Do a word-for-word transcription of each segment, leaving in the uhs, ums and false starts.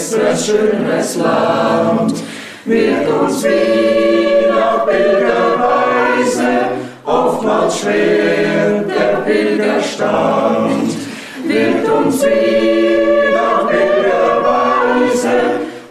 besseres, schönes Land. Wird uns wie nach Pilgerweise oftmals schwer der Pilgerstand. Wird uns wie nach Pilgerweise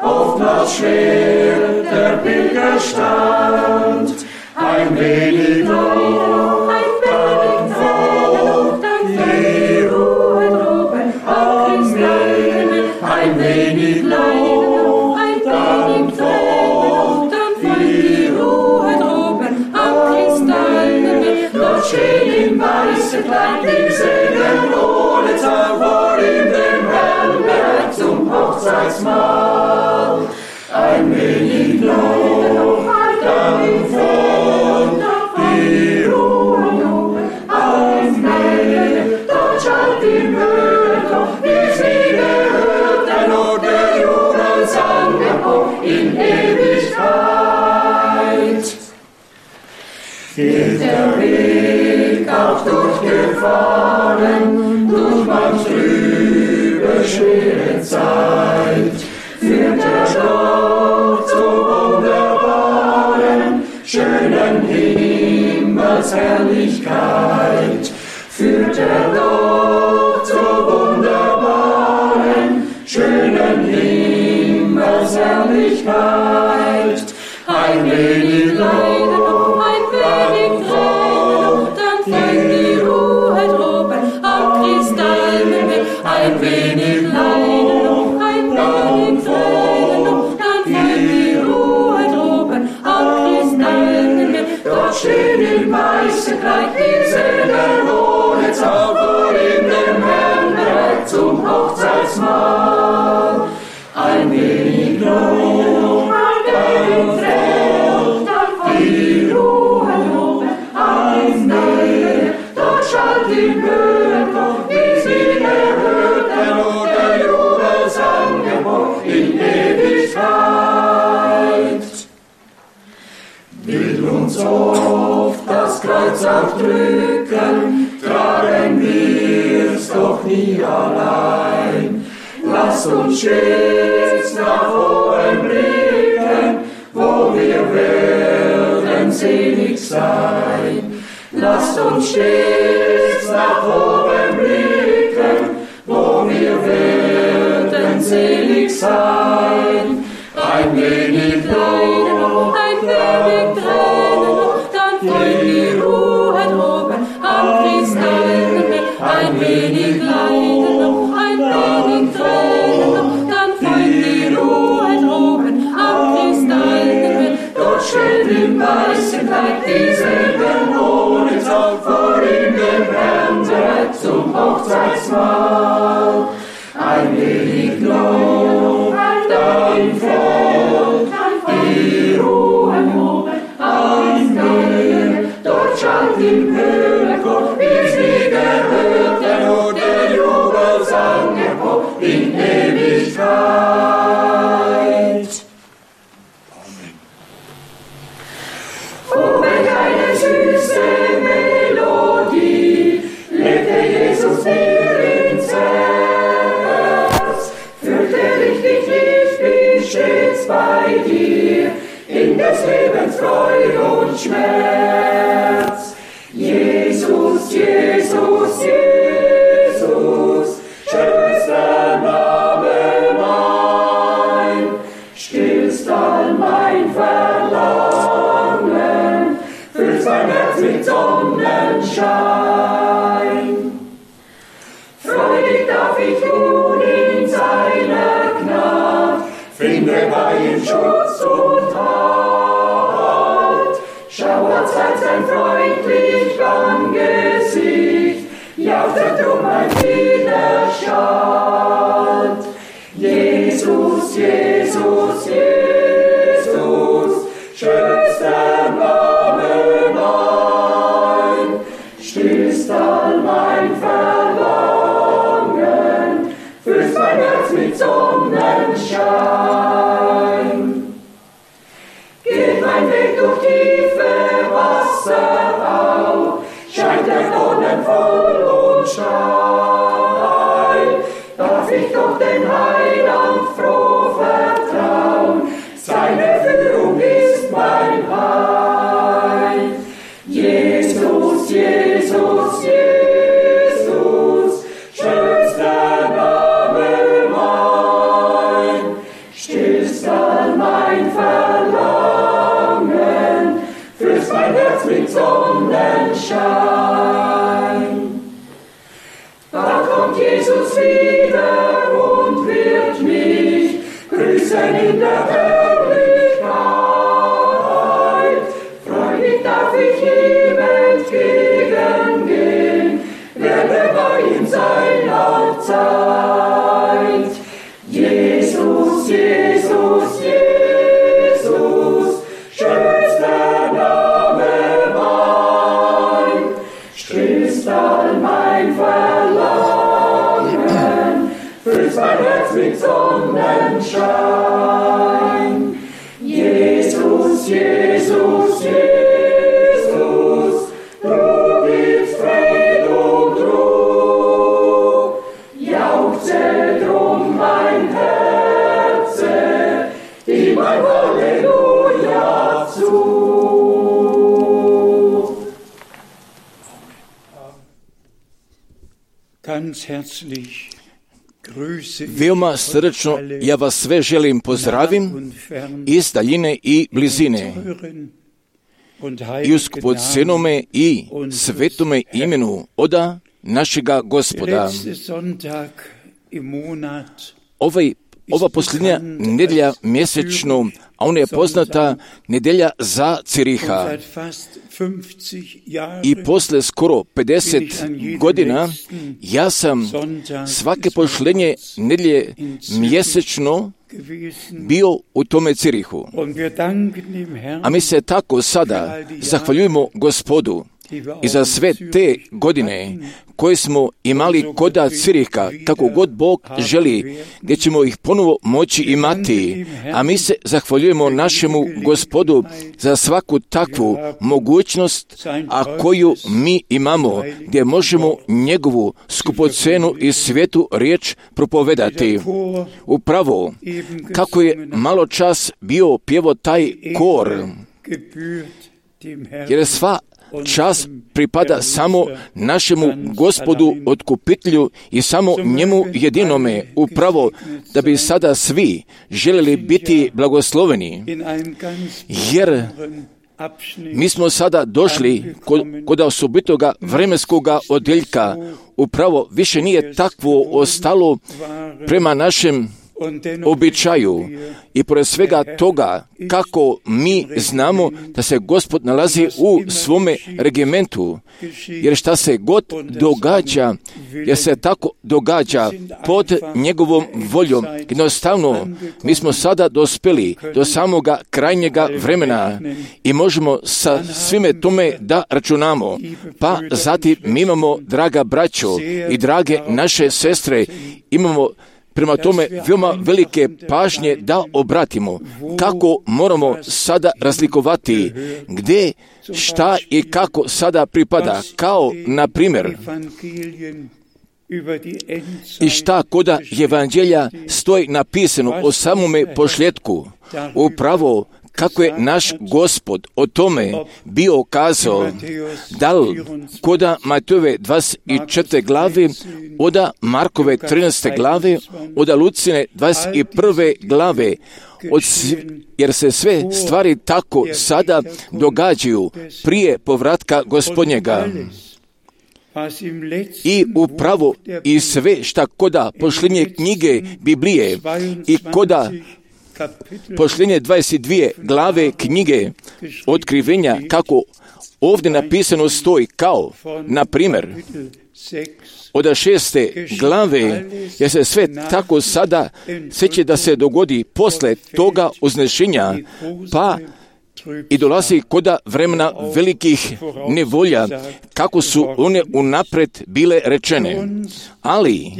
oftmals schwer der Pilgerstand. Ein wenig noch, dann folgt die Ruhe droben am Meer. Ein wenig noch, dann folgt die Ruhe droben am Kristallmeer. Dort stehen im weißen Kleid die Segen ohne Zahl vor ihm dem Herrn bereit zum Hochzeitsmahl. Ein wenig noch, dann folgt die Ruhe am Meer. Dort schallt im Höhe doch, wie sie gehört, der Not der Jubelsang empor in Ewigkeit. Geht der Weg auch durchgefahren, durch manch trübe, schwere Zeit, führt er doch zur wunderbaren, schönen Himmelsherrlichkeit. Führt er doch zur wunderbaren, schönen Himmelsherrlichkeit. Ein wenig Lob, ein wenig Tränen, dann fällt die Ruhe droben am Kristallmeer. Ein wenig Lob, ein wenig Tränen, dann fällt die Ruhe droben am Kristallmeer. Dort stehen im weißen Kleid die Segen ohne Zahl vor ihm dem Herrn bereit zum Hochzeitsmahl. Ein wenig Lob, dann folgt die Ruhe droben am Meer. Dort schallt im Höhenchor, wie sie gehört, der Not der Jubelsang empor in Ewigkeit. Will uns oft das Kreuz aufdrücken, tragen wir's doch nie allein. Lasst uns stets nach oben blicken, wo wir werden selig sein. Lasst uns stets nach oben blicken, wo wir werden selig sein. Ein wenig Lob, ein wenig Tränen, dann folgt die Ruhe droben am Kristallmeer. Ein wenig Leiden, ein wenig Tränen, dann folgt die Ruhe droben am Kristallmeer. Dort steht im weißen Kleid die Segen ohne Zahl vor ihm dem Herrn bereit zum Hochzeitsmahl. Ein wenig Lob, dann folgt die Ruhe am Meer. Dort schallt im Höhenchor, wie sie gehört, der Not der Jubelsang empor in Ewigkeit. Amen. Oh, welch eine süße Melodie legte Jesus mir ins Herz. Fürchterlich dich, ich bin stets bei dir, in des Lebens Freude und Schmerz. Jesus, Jesus, Jesus, schönster Name mein, stillst all mein Verlangen, füllst mein Herz mit Sonnenschein. Freudig darf ich nun in seiner Gnade, finde bei ihm Schutz und Halt. Schauert sein freundlich Angesicht, jauchzet drum mein Widerstand. Jesus, Jesus, Jesus, schönster Name mein, stillst all mein Verlangen, füllst mein Herz mit Sonnenschein. Geht mein Weg durch tiefe Wasser auf, scheint der Dornen voll und steil, darf ich doch den Heiland froh Herz mit Sonnenschein. Da kommt Jesus wieder und wird mich grüßen in der Herrlichkeit. Freudig darf ich ihm entgegengehen, werde bei ihm sein allzeit. Jesus, Jesus, Jesus, schönster Name mein, stillst all mein Verlangen, füllst mein Herz mit Sonnenschein. Jesus, Jesus, Jesus, du gibst Fried und Ruhe, jauchze drum mein Herze, ihm ein Halleluja zu. Ganz herzlich Veoma srdačno ja vas sve želim pozdravim iz daljine i blizine i u skupocjenome i svetome imenu oda našega Gospoda. Ovaj, ova posljednja nedjelja mjesečno, a ona je poznata nedjelja za Ciriha. I posle skoro pedeset godina ja sam svake posljednje nedjelje mjesečno bio u tome Cirihu. A mi se tako sada zahvaljujemo Gospodu i za sve te godine koje smo imali koda Ciriha, kako god Bog želi, gdje ćemo ih ponovo moći imati. A mi se zahvaljujemo našemu Gospodu za svaku takvu mogućnost, a koju mi imamo, gdje možemo njegovu skupocenu i svetu riječ propovedati. Upravo, kako je malo čas bio pjevo taj kor, jer sva čas pripada samo našemu Gospodu otkupitelju i samo njemu jedinome, upravo da bi sada svi željeli biti blagosloveni, jer mi smo sada došli kod, kod osobitoga vremenskoga odjeljka. Upravo više nije takvo ostalo prema našem običaju i pored svega toga kako mi znamo da se Gospod nalazi u svome regimentu, jer šta se god događa, jer se tako događa pod njegovom voljom. Jednostavno, mi smo sada dospeli do samoga krajnjega vremena i možemo sa svime tome da računamo. Pa zatim mi imamo, draga braćo i drage naše sestre, imamo prema tome veoma velike pažnje da obratimo kako moramo sada razlikovati gdje, šta i kako sada pripada, kao na primjer i šta koda evanđelja stoji napisano o samome posljetku. Upravo kako je naš Gospod o tome bio kazao, da li koda Matejove dvadeset četvrte glave, oda Markove trinaeste glave, oda Lucine dvadeset prve glave, od, jer se sve stvari tako sada događaju prije povratka Gospodnjega. I upravo i sve šta koda posljednje knjige Biblije i koda posljednje dvadeset dvije glave knjige Otkrivenja, kako ovdje napisano stoji, kao na primjer od šeste glave, jer se sve tako sada sve će da se dogodi posle toga uznešenja, pa i dolazi koda vremena velikih nevolja, kako su one unapred bile rečene. Ali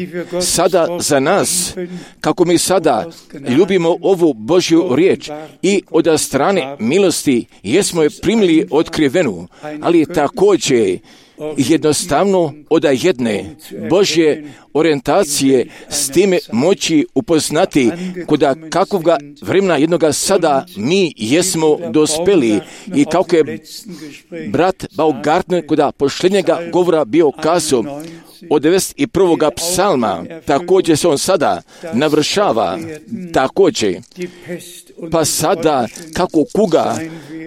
sada za nas, kako mi sada ljubimo ovu Božju riječ i od strane milosti jesmo je primili otkrivenu, ali također jednostavno od jedne Božje orijentacije s time moći upoznati koda kakvoga vremena jednoga sada mi jesmo dospeli i kako je brat Baumgartner koda posljednjega govora bio kazao od devedeset prvog psalma, također se on sada navršava također pa sada kako kuga,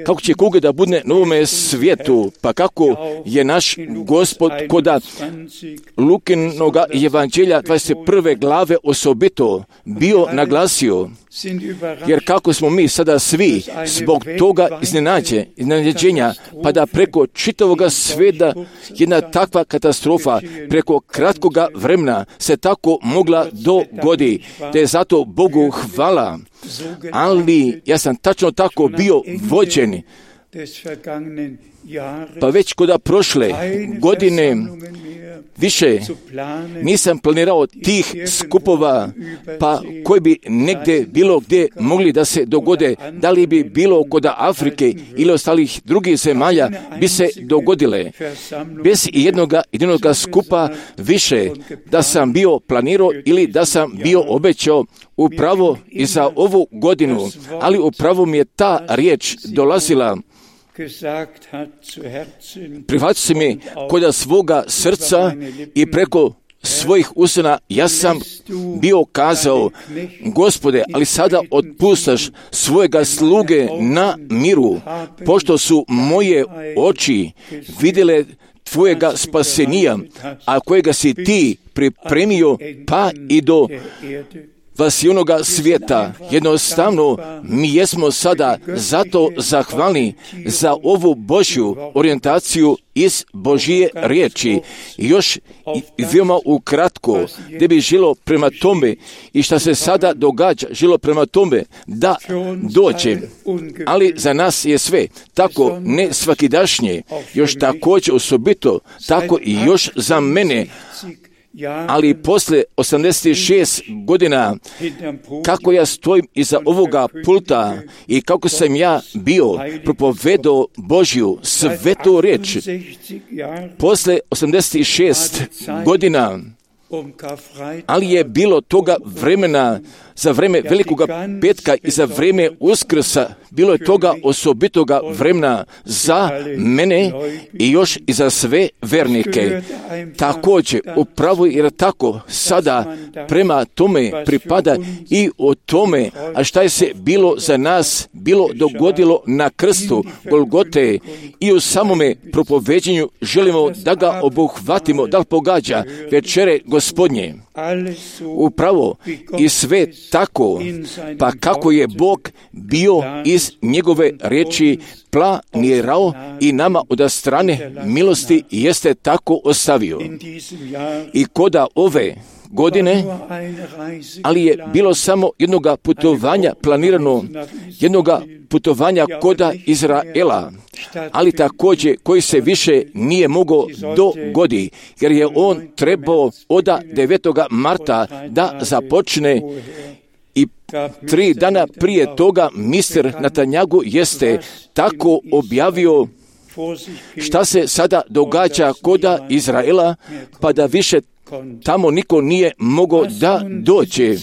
kako će kuga da bude na ovome svijetu, pa kako je naš Gospod koda Lukinoga evanđelja dvadeset prve glave osobito bio naglasio, jer kako smo mi sada svi zbog toga iznenađe, iznenađenja, pa da preko čitavoga svijeta jedna takva katastrofa preko kratkoga vremena se tako mogla dogodi, da je zato Bogu hvala. Ali ja sam tačno tako bio vođen, pa već koda prošle godine više nisam planirao tih skupova, pa koji bi negdje bilo gdje mogli da se dogode, da li bi bilo kod Afrike ili ostalih drugih zemalja, bi se dogodile. Bez jednoga jedinoga skupa više da sam bio planirao ili da sam bio obećao upravo i za ovu godinu, ali upravo mi je ta riječ dolazila. Prihvatio mi kod svoga srca i preko svojih usana ja sam bio kazao, Gospode, ali sada otpustaš svojega sluge na miru, pošto su moje oči vidjele tvojega spasenija, a kojega si ti pripremio pa i do vasionoga svijeta. Jednostavno, mi jesmo sada zato zahvalni za ovu Božju orijentaciju iz Božje riječi. Još veoma ukratko, gdje bi žilo prema tome i šta se sada događa, žilo prema tome da dođe. Ali za nas je sve tako ne svakidašnje, još također osobito, tako i još za mene. Ali posle osamdeset šest godina, kako ja stojim iza ovoga pulta i kako sam ja bio propovedao Božju svetu riječ, posle osamdeset šest godina, ali je bilo toga vremena, za vreme Velikoga petka i za vreme Uskrsa, bilo je toga osobitoga vremena za mene i još i za sve vernike. Također, upravo jer tako sada prema tome pripada i o tome, a šta je se bilo za nas bilo dogodilo na krstu Golgote i u samome propoveđenju želimo da ga obuhvatimo, da li pogađa večere Gospodnje. Upravo i sve tako, pa kako je Bog bio iz njegove riječi planirao i nama od strane milosti jeste tako ostavio. I koda ove godine, ali je bilo samo jednoga putovanja planirano, jednoga putovanja koda Izraela, ali također koji se više nije mogao dogodi, jer je on trebao od devetog marta da započne i tri dana prije toga mister Netanjahu jeste tako objavio šta se sada događa koda Izraela, pa da više tamo niko nije mogao da dođe,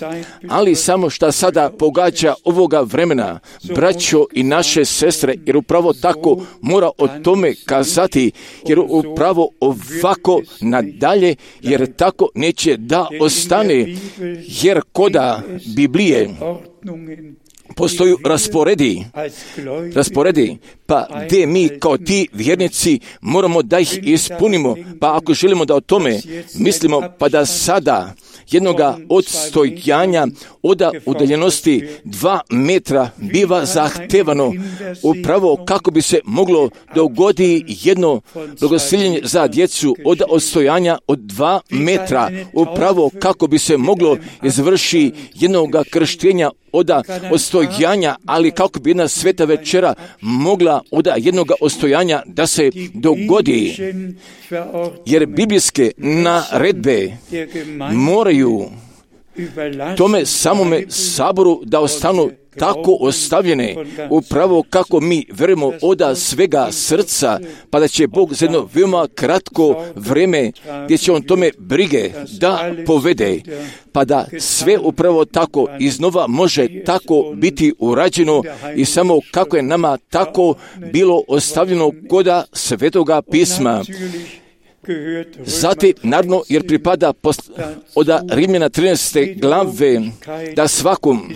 ali samo šta sada pogađa ovoga vremena, braćo i naše sestre, jer upravo tako mora o tome kazati, jer upravo ovako nadalje, jer tako neće da ostane, jer koda Biblije postoju rasporedi, rasporedi, pa gdje mi kao ti vjernici moramo da ih ispunimo, pa ako želimo da o tome mislimo, pa da sada jednoga odstojanja od udaljenosti dva metra biva zahtevano upravo kako bi se moglo dogodi jedno blagosiljenje za djecu od odstojanja od dva metra, upravo kako bi se moglo izvrši jednoga krštenja od odstojanja, ali kako bi jedna sveta večera mogla od jednoga odstojanja da se dogodi, jer biblijske naredbe moraju tome samome saboru da ostanu tako ostavljene, upravo kako mi verujemo od svega srca, pa da će Bog za jedno veoma kratko vrijeme gdje će on tome brige da povede, pa da sve upravo tako iznova može tako biti urađeno i samo kako je nama tako bilo ostavljeno koda Svetoga pisma. Zatim, naravno, jer pripada post, od Rimljana trinaeste glave, da svakom,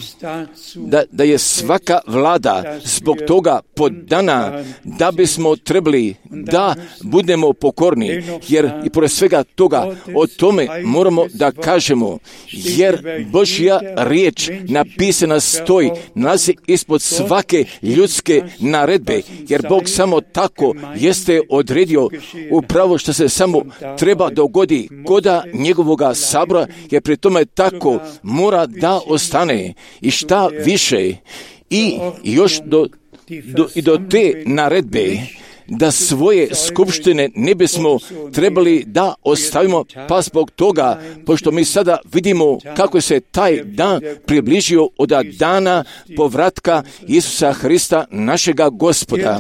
da, da je svaka vlada zbog toga podana, da bismo trebali da budemo pokorni, jer i pored svega toga o tome moramo da kažemo, jer Božja riječ napisana stoji, nalazi ispod svake ljudske naredbe, jer Bog samo tako jeste odredio upravo što se samo treba dogodi koda njegovoga sabora, jer pri tome tako mora da ostane i šta više i još do, do, i do te naredbe da svoje skupštine ne bismo trebali da ostavimo, pa zbog toga, pošto mi sada vidimo kako se taj dan približio od dana povratka Isusa Hrista, našega Gospoda.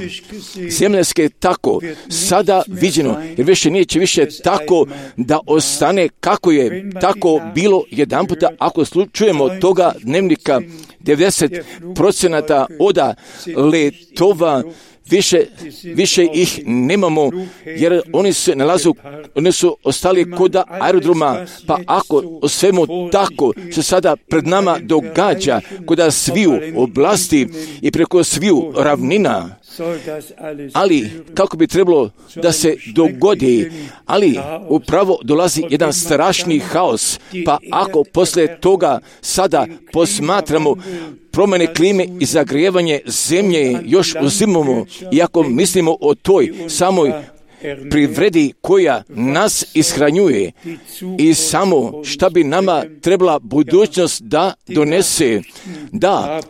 Zemljanske tako sada viđeno, jer više neće više tako da ostane kako je tako bilo jedan puta, ako slučujemo toga dnevnika devedeset procenata oda letova, Više, više ih nemamo, jer oni se nalazu, oni su ostali kod aerodroma, pa ako o svemu tako se sada pred nama događa, kod sviju oblasti i preko sviju ravnina, ali kako bi trebalo da se dogodi, ali upravo dolazi jedan strašni haos, pa ako posle toga sada posmatramo promjene klime i zagrijevanje zemlje još uzimamo, i ako mislimo o toj samoj privredi koja nas ishranjuje i samo šta bi nama trebala budućnost da donese, da,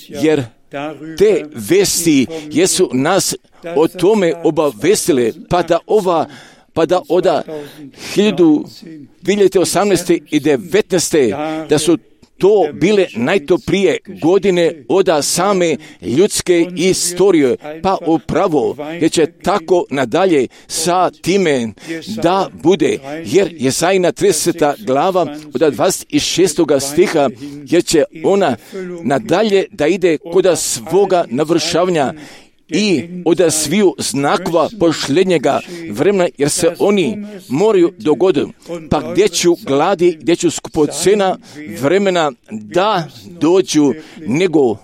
jer te vesti jesu nas o tome obavestile, pa da ova pa da od hiljadu dvije osamnaeste i devetnaeste da su to bile najtoplije godine od same ljudske istorije, pa upravo jer će tako nadalje sa time da bude, jer Jezajina trideseta glava od dvadeset šestog stiha, jer će ona nadalje da ide kod svoga navršavanja i od sviju znakova posljednjega vremena, jer se oni moraju dogoditi. Pa gdje ću gladi, gdje ću skupocena vremena da dođu, nego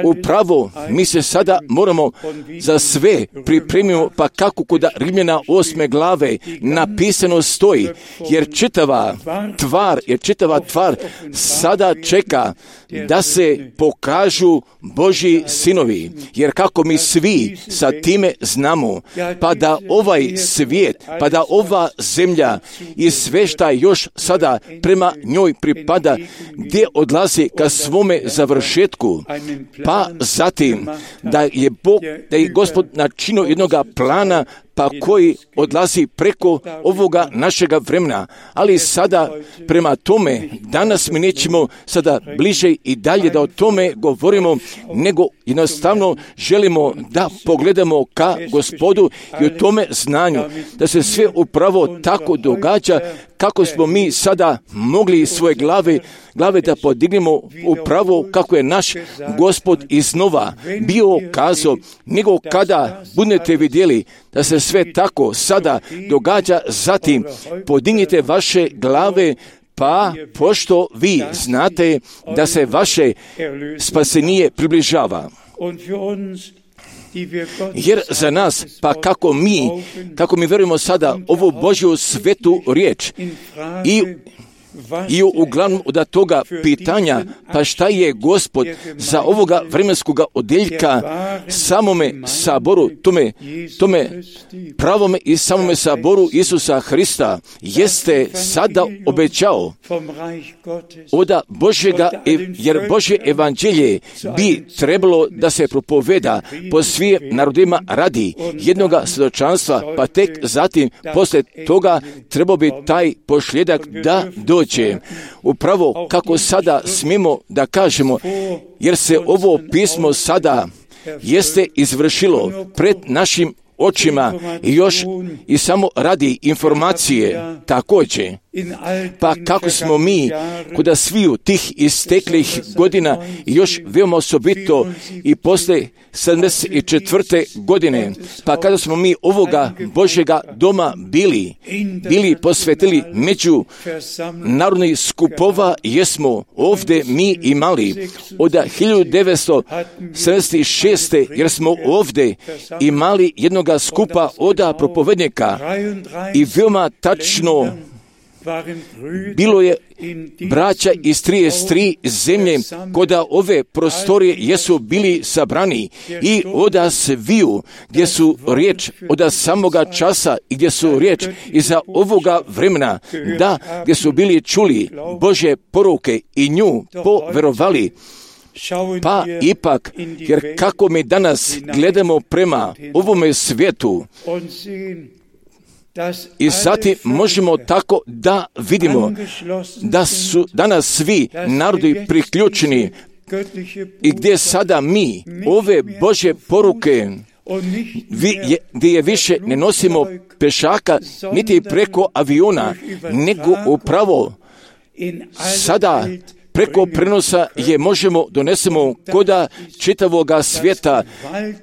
upravo mi se sada moramo za sve pripremimo, pa kako kod Rimljana osme glave napisano stoji, jer čitava tvar, jer čitava tvar sada čeka da se pokažu Božji sinovi, jer kako mi svi sa time znamo, pa da ovaj svijet, pa da ova zemlja i sve šta još sada prema njoj pripada, gdje odlazi ka svome završetku, pa zatim da je Bog, da je Gospod načinio jednoga plana, pa koji odlazi preko ovoga našega vremena. Ali sada prema tome, danas mi nećemo sada bliže i dalje da o tome govorimo, nego jednostavno želimo da pogledamo ka Gospodu i o tome znanju, da se sve upravo tako događa, kako smo mi sada mogli svoje glave, glave da podignemo upravo kako je naš Gospod iznova bio kazao, nego kada budete vidjeli da se sve tako sada događa, zatim podignite vaše glave, pa pošto vi znate da se vaše spasenije približava. Jer za nas, pa kako mi, kako mi verujemo sada ovu Božju svetu riječ i I uglavnom od toga pitanja, pa šta je Gospod za ovoga vremenskoga odjeljka samome saboru, tome, tome pravome i samome saboru Isusa Hrista jeste sada obećao od Božjega, jer Božje evanđelje bi trebalo da se propoveda po svim narodima radi jednoga svjedočanstva, pa tek zatim posle toga trebao bi taj posljedak da dođe. Upravo kako sada smijemo da kažemo, jer se ovo pismo sada jeste izvršilo pred našim očima i još i samo radi informacije također. Pa kako smo mi kod sviju tih isteklih godina još veoma osobito i posle sedamdeset četvrte godine, pa kada smo mi ovoga Božjega doma bili, bili posvetili među narodnih skupova, jesmo ovdje mi imali od hiljadu devetsto sedamdeset šeste jer smo ovdje imali jednoga skupa oda propovednika i veoma tačno bilo je braća iz trideset tri zemlje koda ove prostorije jesu bili sabrani i oda sviju gdje su riječ oda samoga časa i gdje su riječ iza ovoga vremena, da gdje su bili čuli Božje poruke i nju poverovali. Pa ipak, jer kako mi danas gledamo prema ovome svijetu, i zatim možemo tako da vidimo da su danas svi narodi priključeni i gdje sada mi ove Božje poruke vi, gdje je više ne nosimo pešaka niti preko aviona, nego upravo sada preko prenosa je možemo donesemo koda čitavoga svijeta,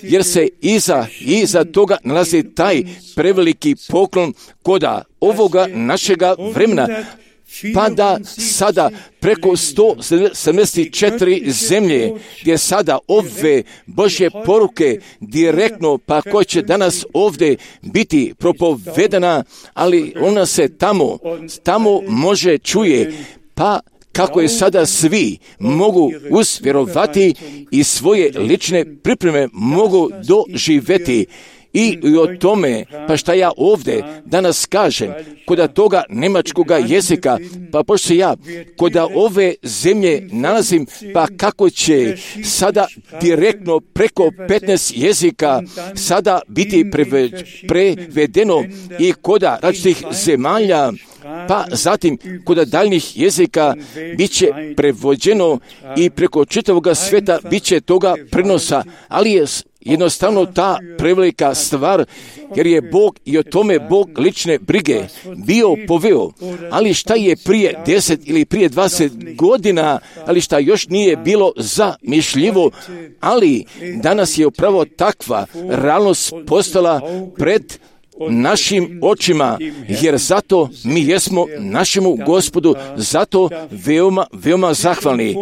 jer se iza, iza toga nalazi taj preveliki poklon koda ovoga našega vremena, pa da sada preko sto sedamdeset četiri zemlje gdje sada ove Božje poruke direktno, pa koje će danas ovdje biti propovedana, ali ona se tamo, tamo može čuje, pa kako je sada svi mogu usvjerovati i svoje lične pripreme mogu doživjeti. I o tome, pa šta ja ovdje danas kažem, koda toga njemačkoga jezika, pa pošto ja koda ove zemlje nalazim, pa kako će sada direktno preko petnaest jezika sada biti prevedeno i koda različitih zemalja, pa zatim kod daljnjih jezika bit će prevođeno i preko čitavoga svijeta bit će toga prenosa, ali je jednostavno ta prevelika stvar, jer je Bog i o tome Bog lične brige bio poveo. Ali šta je prije deset ili prije dvadeset godina, ali šta još nije bilo zamišljivo, ali danas je upravo takva realnost postala pred našim očima, jer zato mi jesmo našemu Gospodu zato veoma, veoma zahvalni.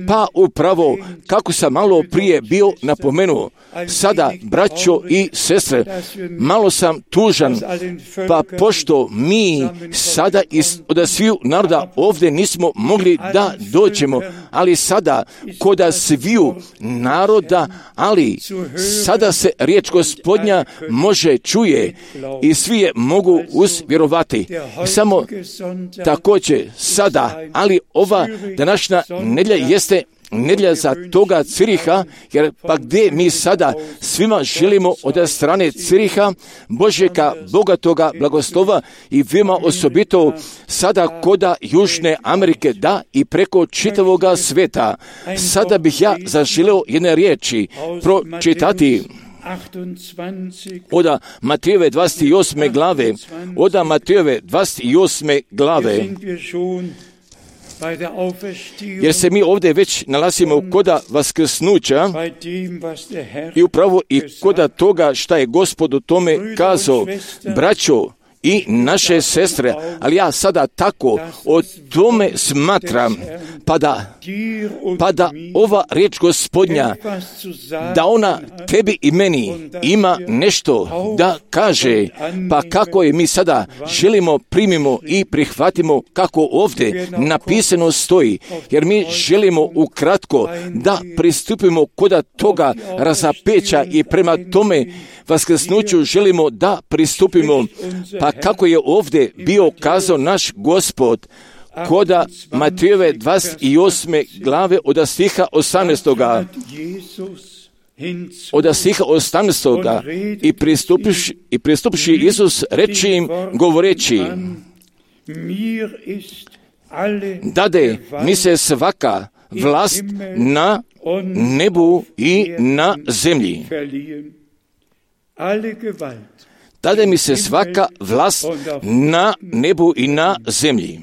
Pa upravo, kako sam malo prije bio napomenuo, sada, braćo i sestre, malo sam tužan, pa pošto mi sada iz, od sviju naroda ovdje nismo mogli da dođemo, ali sada koda sviju naroda, ali sada se riječ Gospodnja može čuje i svi je mogu usvjerovati. Samo također sada, ali ova današnja nedjelja jeste nedjelja za toga Ciriha, jer pa gdje mi sada svima želimo od strane Ciriha Božjega bogatoga blagoslova i veoma osobito sada koda Južne Amerike, da i preko čitavoga svijeta. Sada bih ja zaželio jedne riječi pročitati od Matejove dvadeset osme glave, od Matejove dvadeset osme glave, jer se mi ovdje već nalazimo koda vaskrsnuća i upravo i koda toga šta je Gospod o tome kazao. Braćo i naše sestre, ali ja sada tako o tome smatram, pa da, pa da ova riječ Gospodnja, da ona tebi i meni ima nešto da kaže, pa kako je mi sada želimo, primimo i prihvatimo kako ovdje napisano stoji, jer mi želimo ukratko da pristupimo koda toga razapeća i prema tome vaskrsnuću želimo da pristupimo, pa kako je ovdje bio kazao naš Gospod koda Matejove dvadeset osme glave od stiha osamnaestoga. Od stiha osamnaestoga i pristupivši, i pristupivši Isus reči im govoreći: dade mi se svaka vlast na nebu i na zemlji. dade mi se svaka vlast na nebu i na zemlji.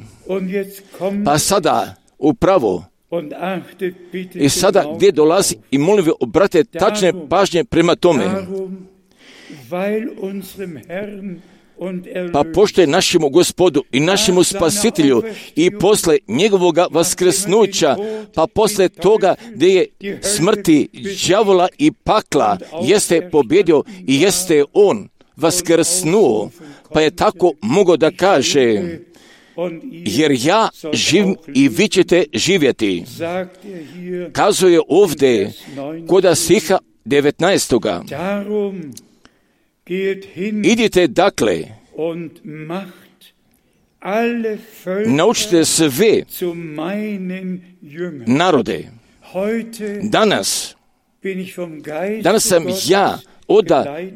Pa sada, upravo, i sada gdje dolazi, i molim vi, obrate tačne pažnje prema tome. Pa pošto je našemu Gospodu i našemu Spasitelju i posle njegovoga vaskrsnuća, pa posle toga gdje je smrti, đavola i pakla, jeste pobjedio i jeste on vaskrsnuo, pa je tako mogao da kaže, jer ja živim i vi ćete živjeti. Kazuje ovdje kod stiha devetnaestoga. Idite dakle, naučite sve narode. Danas, danas sam ja od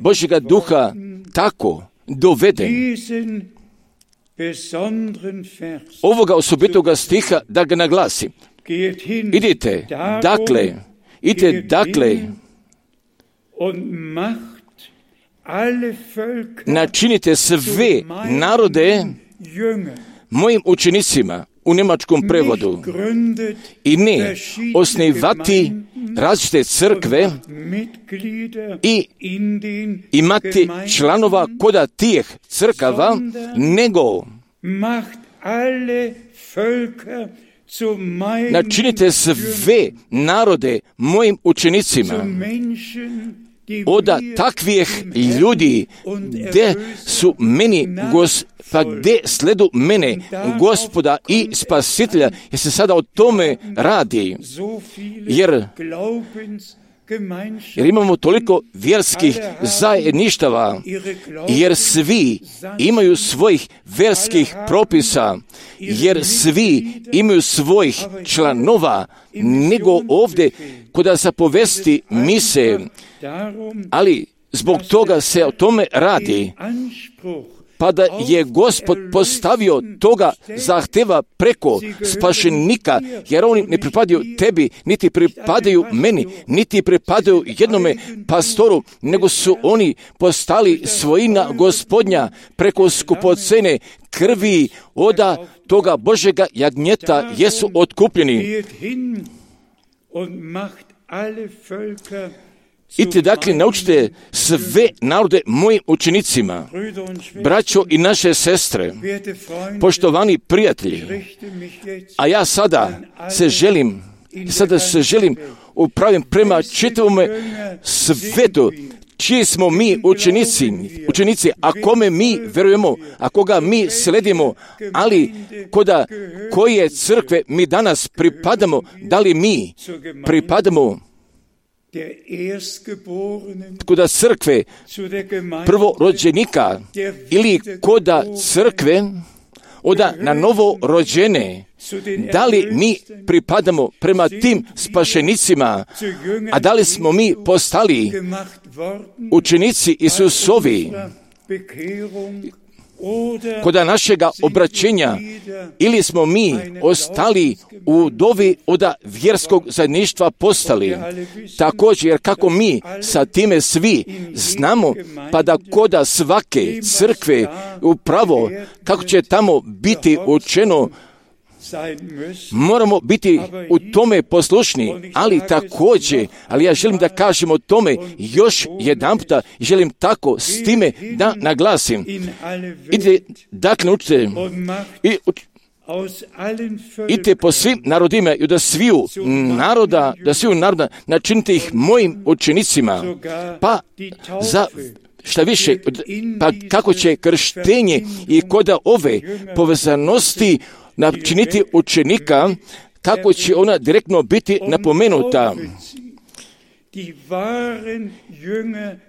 Božjega duha tako doveden ovoga osobitoga stiha da ga naglasim. Idite dakle, idite dakle, načinite sve narode mojim učenicima, u njemačkom prevodu, i ne osnivati različite crkve i imati članova koda tih crkava, nego načinite sve narode mojim učenicima. Od takvih ljudi gdje su meni gos, pa gdje sledu mene Gospoda i Spasitelja, jer se sada o tome radi, jer jer imamo toliko vjerskih zajedništava, jer svi imaju svojih vjerskih propisa, jer svi imaju svojih članova, nego ovdje kod zapovesti mise, ali zbog toga se o tome radi, pa da je Gospod postavio toga zahteva preko spašenika, jer oni ne pripadaju tebi, niti pripadaju meni, niti pripadaju jednome pastoru, nego su oni postali svojina Gospodnja preko skupocene krvi oda toga Božega jagnjeta, jesu otkupljeni. Idite dakle, naučite sve narode mojim učenicima, braćo i naše sestre, poštovani prijatelji, a ja sada se želim, sada se želim upravim prema čitavome svetu, čiji smo mi učenici, učenici, a kome mi verujemo, a koga mi sledimo, ali koda koje crkve mi danas pripadamo, da li mi pripadamo koda crkve prvorođenika ili koda crkve oda na novo rođene, da li mi pripadamo prema tim spašenicima, a da li smo mi postali učenici Isusovi koda našega obraćenja, ili smo mi ostali u dovi oda vjerskog zajedništva postali. Također, jer kako mi sa time svi znamo, pa da koda svake crkve upravo kako će tamo biti učeno, moramo biti u tome poslušni, ali također, ali ja želim da kažem o tome još jedanputa, želim tako s time da naglasim. Idite, dakle, učite i idite po svim narodima i da sviju naroda, da sviju naroda načinite ih mojim učenicima, pa za šta više, pa kako će krštenje i koda ove povezanosti načiniti učenika, kako će ona direktno biti napomenuta.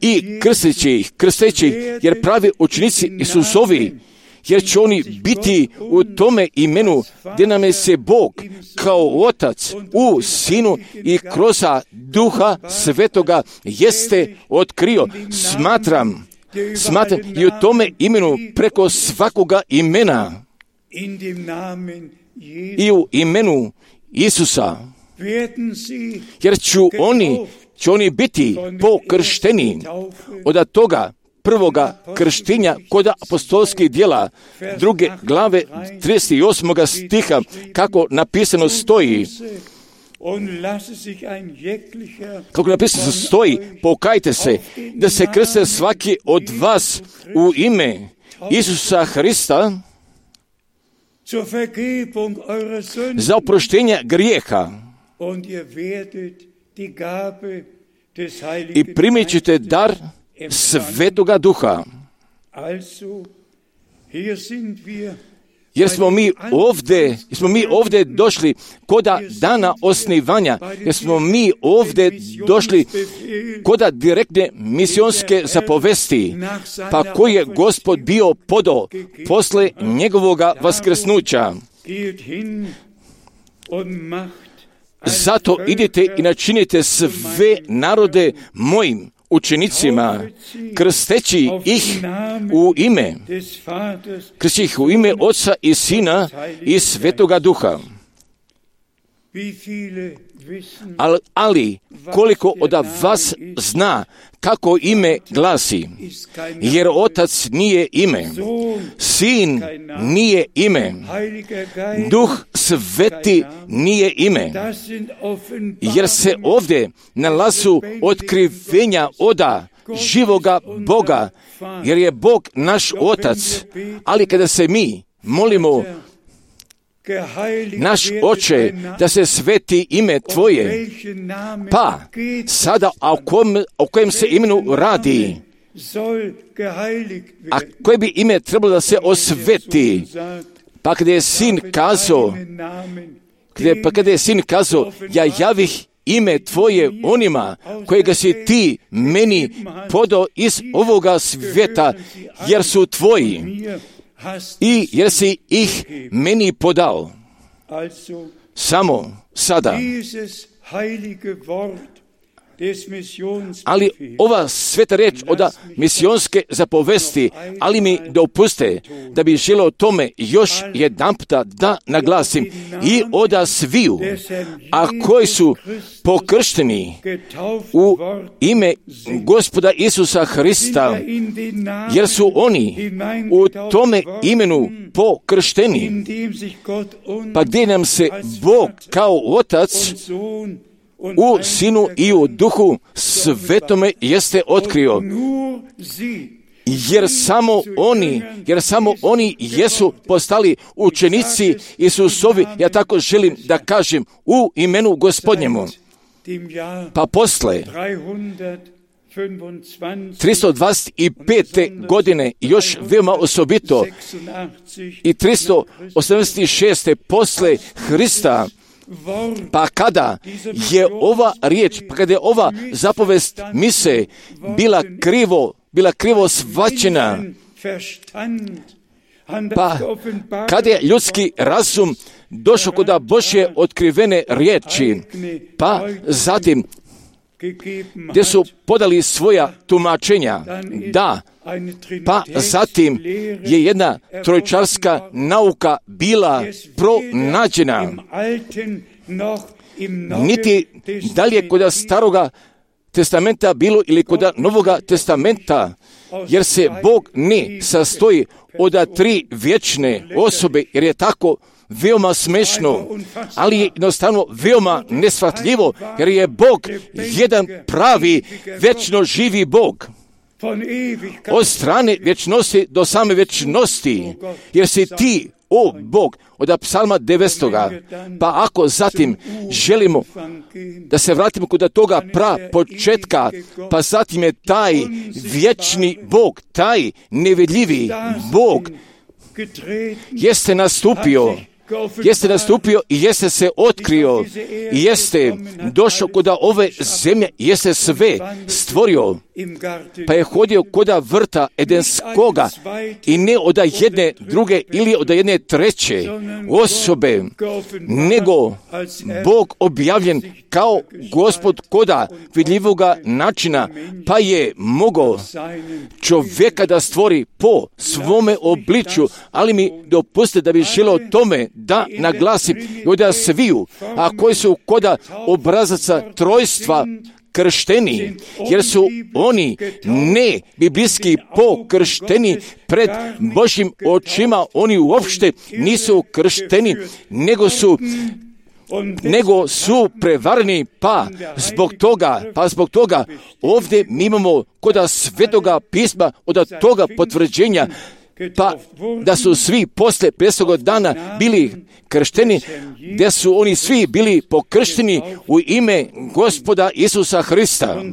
I krsteći ih, krsteći ih, jer pravi učenici Isusovi, jer će oni biti u tome imenu gdje nam je se Bog kao Otac u Sinu i kroz Duha Svetoga jeste otkrio. Smatram, smatram i u tome imenu preko svakoga imena i u imenu Isusa, jer ću oni, će oni biti pokršteni od toga prvoga krštenja kod apostolskih djela, druge glave trideset osmoga stiha, kako napisano stoji, kako napisano stoji, pokajte se, da se krste svaki od vas u ime Isusa Hrista za oproštenje grijeha i primit ćete dar Svetoga Duha. Jer smo mi ovdje, smo mi ovdje došli koda dana osnivanja, jer smo mi ovdje došli koda direktne misionske zapovesti, pa koji je Gospod bio podao posle njegovoga vaskrsnuća. Zato idite i načinite sve narode mojim učenicima, krsteći ih u ime, krsteći ih u ime Oca i Sina i Svetoga Duha. Ali, ali koliko od vas zna kako ime glasi, jer Otac nije ime, Sin nije ime, Duh Sveti nije ime, jer se ovdje nalazu otkrivenja oda živoga Boga, jer je Bog naš Otac, ali kada se mi molimo, naš Oče, da se sveti ime Tvoje, pa sada o kojem, o kojem se imenu radi, a koje bi ime trebalo da se osveti, pa kada je Sin kazao, kada, pa kada je Sin kazao, ja javih ime Tvoje onima kojega si Ti meni podao iz ovoga svijeta, jer su Tvoji, i jer si ih meni podao. Samo sada. Ali ova sveta reč od misionske zapovesti, ali mi dopuste da bi želeo tome još jedanputa da naglasim, i oda sviju, a koji su pokršteni u ime Gospoda Isusa Hrista, jer su oni u tome imenu pokršteni, pa gdje nam se Bog kao Otac u Sinu i u Duhu Svetome jeste otkrio, jer samo oni, jer samo oni jesu postali učenici Isusovi, ja tako želim da kažem, u imenu Gospodnjemu. Pa posle tristo dvadeset pete godine, još veoma osobito, i tristo osamdeset šeste posle Hrista, pa kada je ova riječ, pa kada je ova zapovest mise bila krivo, bila krivo shvaćena, pa kada je ljudski razum došao kod Božje otkrivene riječi, pa zatim gdje su podali svoja tumačenja, da, pa zatim je jedna trojčarska nauka bila pronađena. Niti dalje kod Staroga testamenta bilo ili kod Novoga testamenta, jer se Bog ne sastoji od tri vječne osobe, jer je tako veoma smešno, ali je jednostavno veoma neshvatljivo, jer je Bog jedan pravi, vječno živi Bog. Od strane vječnosti do same vječnosti, jer si ti, o Bog, od psalma devetstoga. Pa ako zatim želimo da se vratimo kod toga pra početka, pa zatim je taj vječni Bog, taj nevidljivi Bog, jeste nastupio, jeste nastupio i jeste se otkrio, i jeste došao kod ove zemlje, jeste sve stvorio, pa je hodio kod vrta Edenskoga, i ne od jedne druge ili od jedne treće osobe, nego Bog objavljen kao Gospod koda vidljivoga načina, pa je mogao čovjeka da stvori po svome obličju, ali mi dopustite da bi želeo tome da naglasim i da sviju, a koji su koda obrazaca trojstva kršteni, jer su oni ne biblijski pokršteni pred Božjim očima, oni uopšte nisu kršteni, nego su nego su prevareni, pa zbog toga, pa zbog toga ovdje mi imamo kod Svetoga pisma od toga potvrđenja, pa da su svi posle pedesetog dana bili kršteni, da su oni svi bili pokršteni u ime Gospoda Isusa Hrista.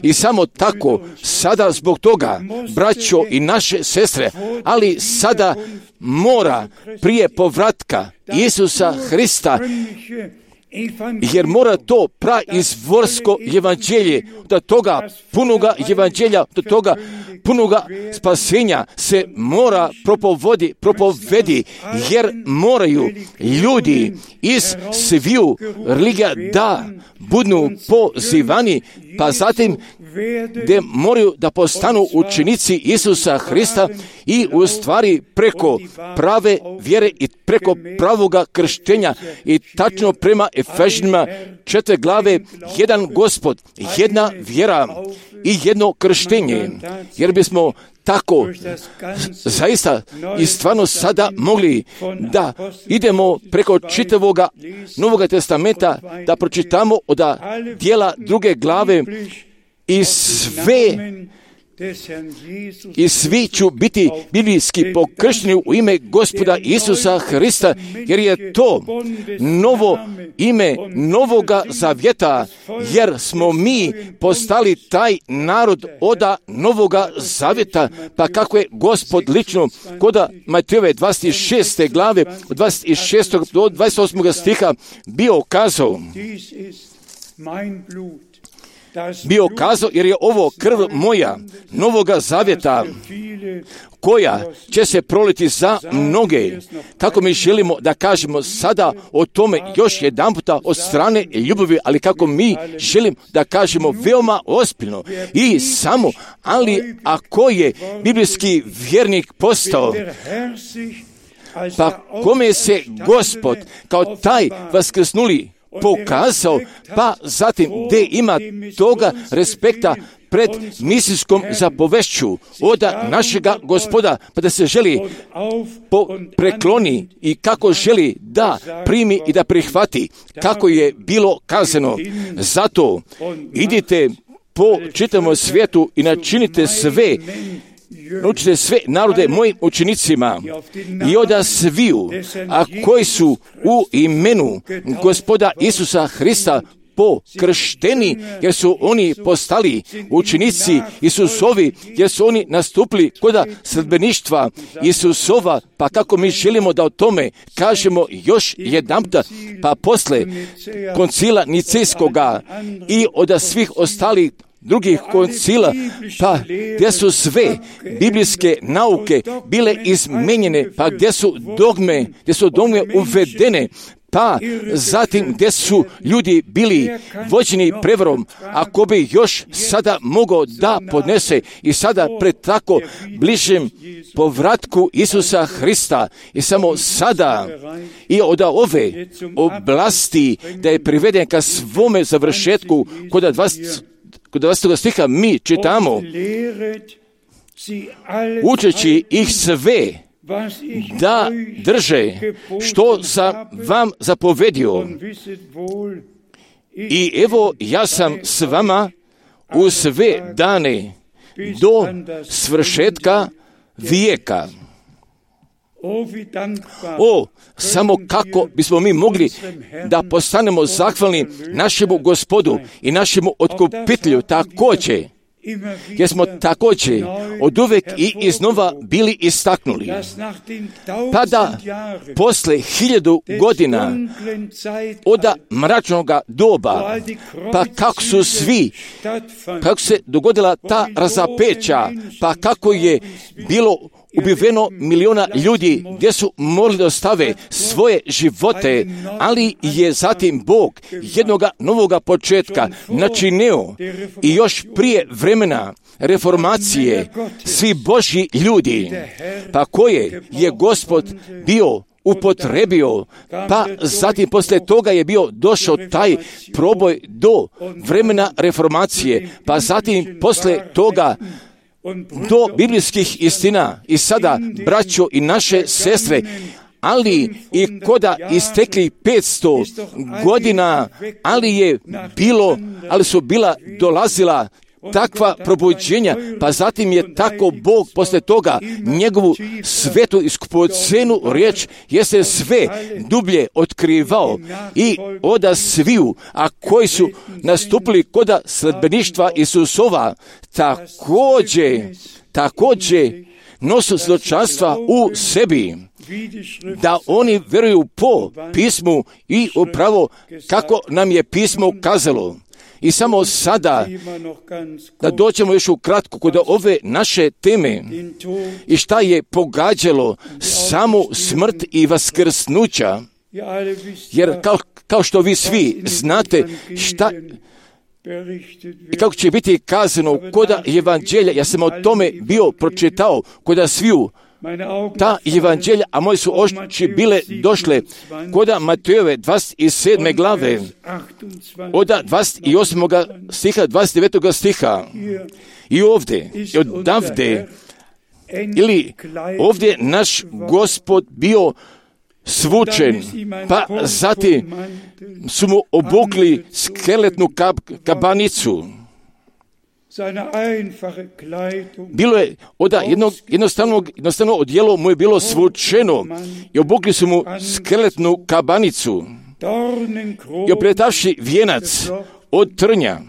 I samo tako, sada zbog toga, braćo i naše sestre, ali sada mora prije povratka Isusa Hrista, jer mora to praizvorsko evanđelje, do toga punoga evanđelja, do toga punoga spasenja se mora propovodi, propovedi, jer moraju ljudi iz sviju religija da budu pozivani, pa zatim gdje moraju da postanu učenici Isusa Hrista i u stvari preko prave vjere i preko pravoga krštenja i tačno prema Efežanima četiri glave, jedan Gospod, jedna vjera i jedno krštenje, jer bismo tako zaista i stvarno sada mogli da idemo preko čitavoga Novoga testamenta, da pročitamo od dijela druge glave i sve i svi ću biti biblijski pokršteni u ime Gospoda Isusa Hrista, jer je to novo ime novoga zavjeta, jer smo mi postali taj narod oda novoga zavjeta, pa kako je Gospod lično kod Matejove dvadeset šeste glave od dvadeset šestog do dvadeset osmog stiha bio kazao, bio kazao, jer je ovo krv moja novoga zavjeta, koja će se proliti za mnoge. Kako mi želimo da kažemo sada o tome još jedan puta od strane ljubavi, ali kako mi želim da kažemo veoma ozbiljno i samo, ali ako je biblijski vjernik postao, pa kome se Gospod kao taj vaskrsnuli pokazao, pa zatim gdje ima toga respekta pred misijskom zapovešću od našega Gospoda, pa da se želi prekloni i kako želi da primi i da prihvati, kako je bilo kazano. Zato idite po čitavom svijetu i načinite sve, naučite sve narode mojim učenicima i od sviju, a koji su u imenu Gospoda Isusa Hrista pokršteni, jer su oni postali učenici Isusovi, jer su oni nastupili kod sledbeništva Isusova, pa kako mi želimo da o tome kažemo još jedanputa, pa posle koncila Nicejskoga i od svih ostalih drugih koncila, pa gdje su sve biblijske nauke bile izmenjene, pa gdje su dogme, gdje su dogme uvedene, pa zatim gdje su ljudi bili vođeni prevarom, ako bi još sada mogao da podnese i sada pred tako bližem povratku Isusa Hrista i samo sada i od ove oblasti da je priveden ka svome završetku kod dvadeset Kod dvadesetog stiha mi čitamo, učeći ih sve da drže što sam vam zapovedio. I evo ja sam s vama u sve dane do svršetka vijeka. O, samo kako bismo mi mogli da postanemo zahvalni našemu Gospodu i našemu otkupitelju također, jer smo također od uvek i iznova bili istaknuli, pa da posle hiljadu godina od mračnog doba, pa kako su svi, kako se dogodila ta razapeća, pa kako je bilo ubiveno miliona ljudi gdje su morali da ostave svoje živote, ali je zatim Bog jednoga novoga početka načinio i još prije vremena reformacije svi Božji ljudi, pa koje je Gospod bio upotrebio, pa zatim poslije toga je bio došao taj proboj do vremena reformacije, pa zatim poslije toga do biblijskih istina. I sada, braćo i naše sestre, ali i koda istekli petsto godina, ali je bilo, ali su bila dolazila takva probuđenja, pa zatim je tako Bog poslije toga njegovu svetu iskupocenu riječ jeste sve dublje otkrivao i oda sviju, a koji su nastupili koda sledbeništva Isusova, također, također nosu svjedočanstva u sebi, da oni vjeruju po pismu i upravo kako nam je pismo kazalo. I samo sada da dođemo još ukratko kod ove naše teme i šta je pogađalo samu smrt i vaskrsnuća, jer kao, kao što vi svi znate šta i kako će biti kazano koda evanđelja, ja sam o tome bio pročitao koda sviju ta evanđelja, a moje su oči bile došle koda Matejove dvadeset sedme glave, oda dvadeset osmog stiha, dvadeset devetog stiha. I ovdje, i odavde, ili ovdje naš Gospod bio svučen, pa zatim su mu obukli skeletnu kab, kabanicu. Bilo je oda jednog, jednostavnog, jednostavno odjelo mu je bilo svučeno i obukli su mu skeletnu kabanicu i opletavši vijenac od trnja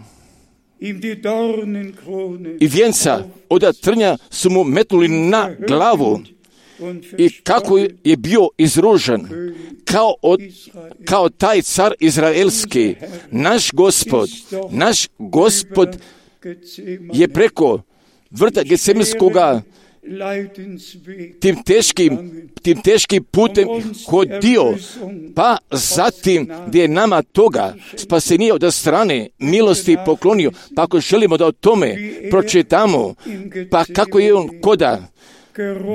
i vijenca od trnja su mu metnuli na glavu i kako je bio izružen kao, od, kao taj car izraelski, naš Gospod, naš Gospod je preko vrta Getsemanskoga tim teškim, tim teškim putem hodio, pa zatim gdje je nama toga spasenije od strane milosti poklonio. Pa ako želimo da o tome pročitamo, pa kako je on koda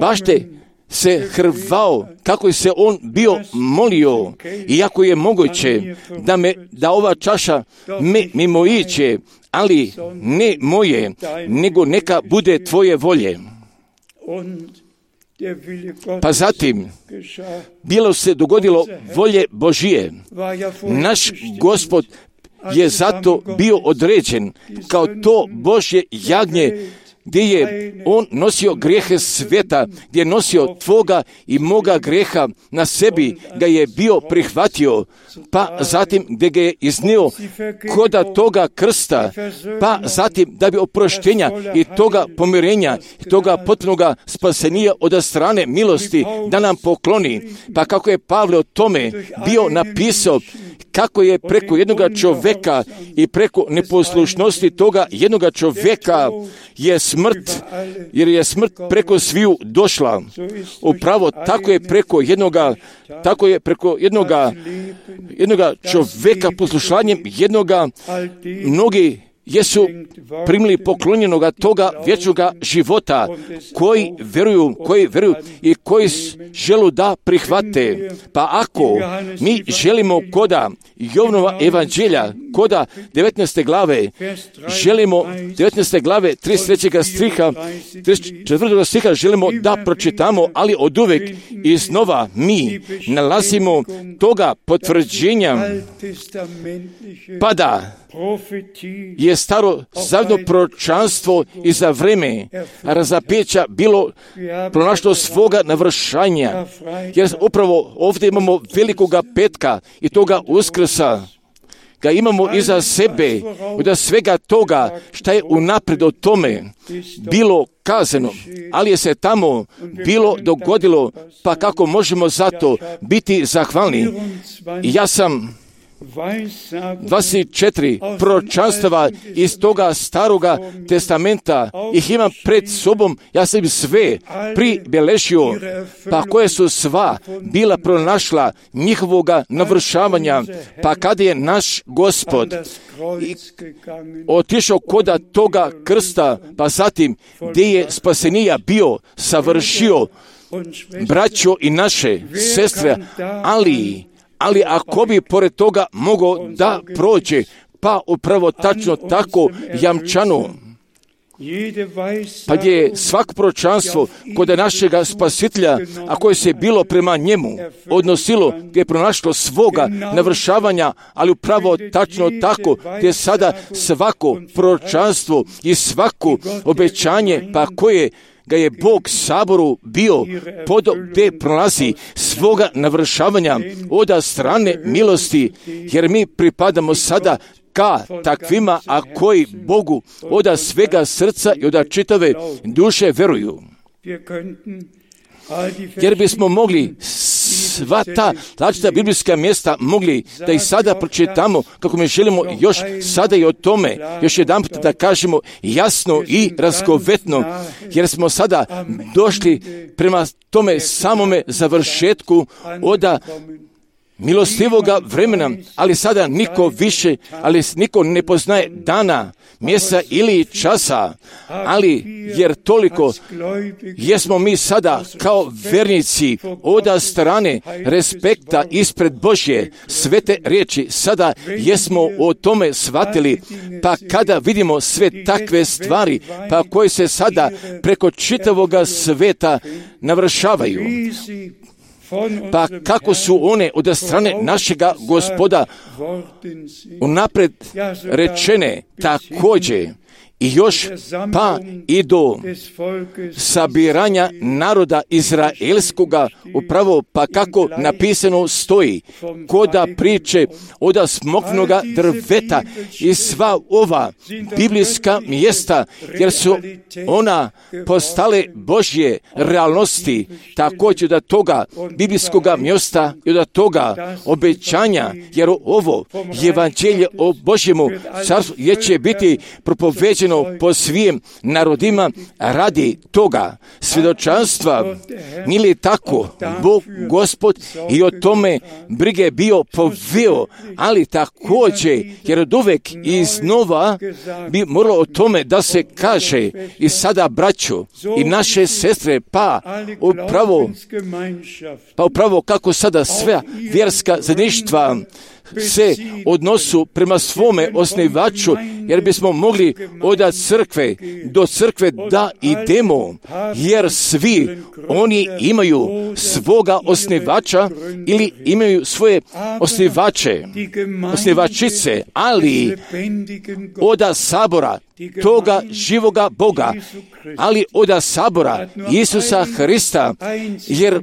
bašte se hrvao, kako je se on bio molio, iako je moguće da, me, da ova čaša me mimo iće, ali ne moje, nego neka bude tvoje volje. Pa zatim, bilo se dogodilo volje Božije. Naš Gospod je zato bio određen kao to Božje jagnje, gdje je on nosio grijehe svijeta, gdje je nosio tvoga i moga grijeha na sebi, ga je bio prihvatio, pa zatim gdje ga je iznio koda toga krsta, pa zatim da bi oproštenja i toga pomirenja, i toga potpunoga spasenija od strane milosti da nam pokloni. Pa kako je Pavle o tome bio napisao, kako je preko jednoga čovjeka i preko neposlušnosti toga jednoga čovjeka je smrt, jer je smrt preko sviju došla. Upravo tako je preko jednoga, tako je preko jednoga, jednoga čovjeka poslušanjem jednoga mnogi jesu primili poklonjenoga toga vječnoga života, koji vjeruju, koji vjeruju i koji žele da prihvate. Pa ako mi želimo koda Jovanova evanđelja, koda devetnaeste glave, želimo devetnaeste glave trideset trećeg stiha, trideset četvrtog stiha želimo da pročitamo, ali od uvek iznova mi nalazimo toga potvrđenja, pa da je staro zavjetno proročanstvo i za vreme razapeća bilo pronašlo svoga navršanja, jer upravo ovdje imamo velikoga petka i toga uskrsa, ga imamo iza sebe, od svega toga šta je unaprijed o tome bilo kazano, ali je se tamo bilo dogodilo, pa kako možemo zato biti zahvalni. I ja sam dvadeset četiri proročanstava iz toga staroga testamenta, ih imam pred sobom, ja sam sve pribeležio, pa koje su sva bila pronašla njihovoga navršavanja, pa kada je naš Gospod otišao koda toga krsta, pa zatim gdje je spasenija bio savršio, braćo i naše sestre, ali, ali ako bi pored toga mogao da prođe, pa upravo tačno tako jamčano, pa gdje je svako proročanstvo kod našega spasitelja, a koje se bilo prema njemu odnosilo, gdje je pronašlo svoga navršavanja, ali upravo tačno tako, gdje sada svako proročanstvo i svako obećanje, pa koje ga je Bog saboru bio pod gdje prolazi svoga navršavanja od strane milosti, jer mi pripadamo sada ka takvima, a koji Bogu od svega srca i od čitave duše veruju. Jer bismo mogli sva ta različita biblijska mjesta mogli da ih sada pročitamo, kako mi želimo još sada i o tome još jedan put da kažemo jasno i razgovetno, jer smo sada došli prema tome samome završetku od milostivoga vremena, ali sada niko više, ali niko ne poznaje dana, mjesta ili časa, ali jer toliko jesmo mi sada kao vernici od strane respekta ispred Božje svete riječi, sada jesmo o tome shvatili, pa kada vidimo sve takve stvari, pa koje se sada preko čitavoga sveta navršavaju, pa kako su one od strane našega Gospoda unapred rečene također i još pa i do sabiranja naroda izraelskoga, upravo pa kako napisano stoji koda priče od smokvinoga drveta i sva ova biblijska mjesta, jer su ona postale Božje realnosti, također od toga biblijskoga mjesta i od toga obećanja, jer ovo evanđelje o Božjemu carstvu je će biti propoveđeno po svim narodima radi toga svjedočanstva. Nije li tako Bog Gospod i o tome brige bio poveo, ali također jer od uvek iznova bi moralo o tome da se kaže i sada braćo i naše sestre, pa upravo pa upravo kako sada sve vjerska zajedništva se odnosu prema svome osnivaču, jer bismo mogli od crkve do crkve da idemo, jer svi oni imaju svoga osnivača ili imaju svoje osnivače, osnivačice, ali od sabora toga živoga Boga, ali od sabora Isusa Hrista, jer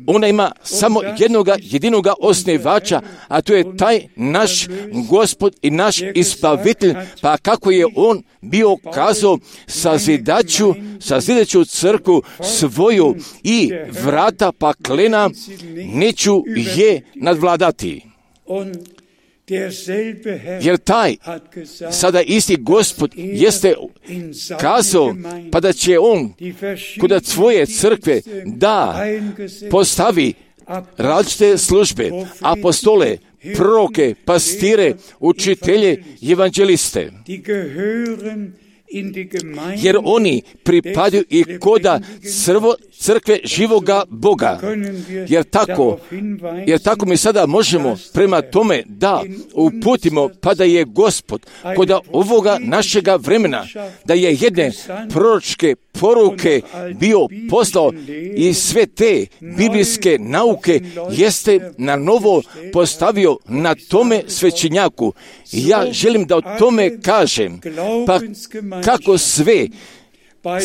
ona ima samo jednoga jedinoga osnivača, a to je taj naš Gospod i naš Izbavitelj, pa kako je on bio kazao sazidaću, sazidaću crkvu svoju i vrata paklena neću je nadvladati. Jer taj sada isti Gospod jeste kazao, pa da će on kod svoje crkve da postavi različite službe, apostole, proroke, pastire, učitelje, evanđeliste. Jer oni pripadaju i koda crvo, crkve živoga Boga. Jer tako, jer tako mi sada možemo prema tome da uputimo, pa da je Gospod koda ovoga našega vremena, da je jedne proročke poruke bio poslao i sve te biblijske nauke jeste na novo postavio na tome svećenjaku. Ja želim da o tome kažem, pa kako sve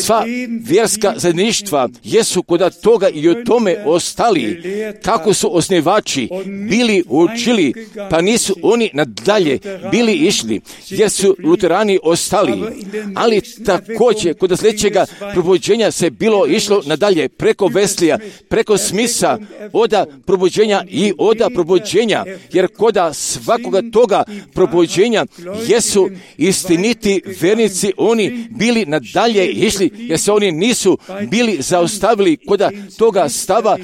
sva vjerska zajedništva jesu kod toga i o tome ostali, kako su osnivači bili učili, pa nisu oni nadalje bili išli, jer su luterani ostali. Ali također kod sljedećega probuđenja se bilo išlo nadalje preko Veslija, preko Smisa, oda probuđenja i oda probuđenja, jer kod svakoga toga probuđenja jesu istiniti vernici, oni bili nadalje išli, jer se oni nisu bili zaustavili kod toga stava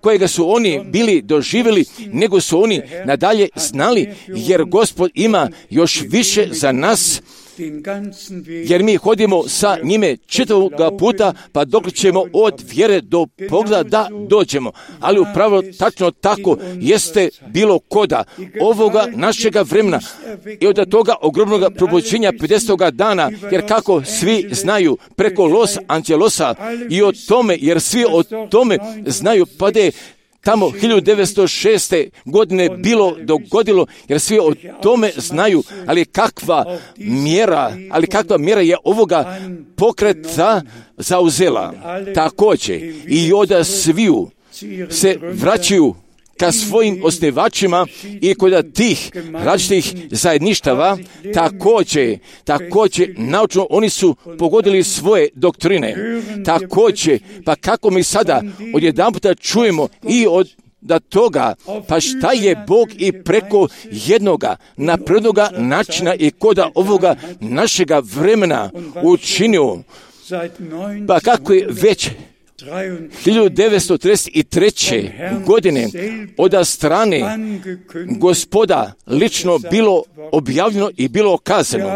kojega su oni bili doživjeli, nego su oni nadalje znali, jer Gospod ima još više za nas, jer mi hodimo sa njime čitavoga puta, pa dok ćemo od vjere do pogleda da dođemo. Ali upravo tačno tako jeste bilo koda ovoga našega vremena i od toga ogromnog probuđenja pedesetoga dana, jer kako svi znaju preko Los Angelosa i o tome, jer svi o tome znaju, pa da je tamo hiljadu devetsto šeste. godine bilo dogodilo, jer svi o tome znaju, ali kakva mjera, ali kakva mjera je ovoga pokreta zauzela. Također i od sviju se vraćaju ka svojim osnivačima i kod tih različitih zajedništava, također, također, naučno oni su pogodili svoje doktrine. Također, pa kako mi sada odjedanputa čujemo i od da toga, pa šta je Bog i preko jednoga naprednoga načina i koda ovoga našega vremena učinio, pa kako je već hiljadu devetsto trideset treće. godine od strane Gospoda lično bilo objavljeno i bilo kazano,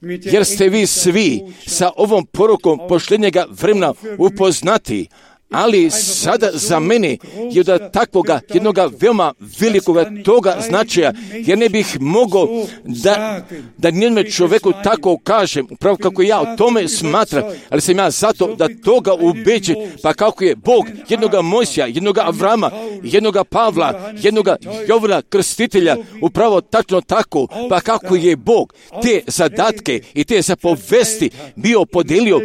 jer ste vi svi sa ovom porukom posljednjega vremena upoznati, ali sada za mene je od takvoga jednoga veoma velikoga toga značaja, jer ne bih mogao da, da nijednom čovjeku tako kažem, upravo kako ja o tome smatram, ali sam ja zato da toga ubeđen, pa kako je Bog jednoga Mojsija, jednoga Avrama, jednoga Pavla, jednoga Jovana Krstitelja, upravo tačno tako, pa kako je Bog te zadatke i te zapovesti bio podelio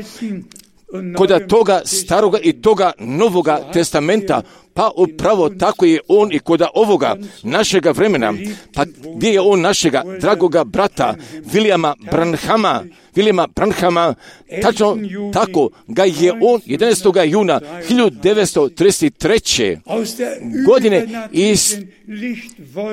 kod toga staroga i toga novoga testamenta, pa upravo tako je on i kod ovoga našega vremena. Pa gdje je on našega dragoga brata Williama Branhama, Williama Branhama, tačno tako ga je on jedanaestog juna hiljadu devetsto trideset treće. godine iz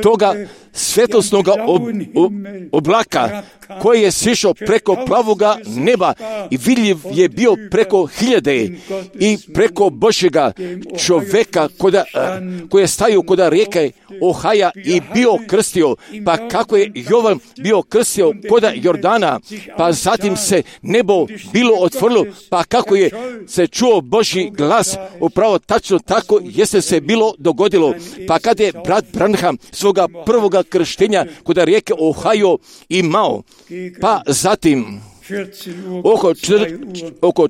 toga svjetlosnog ob, ob, oblaka koji je sišao preko plavoga neba i vidljiv je bio preko hiljade i preko Božjega čovjeka koda, koji je stajao kod rijeke Ohaja i bio krstio, pa kako je Jovan bio krstio kod Jordana, pa zatim se nebo bilo otvorilo, pa kako je se čuo Božji glas, upravo tačno tako jeste se bilo dogodilo, pa kada je brat Branham svoga prvoga krštenja kod rijeke Ohajo imao, pa zatim oko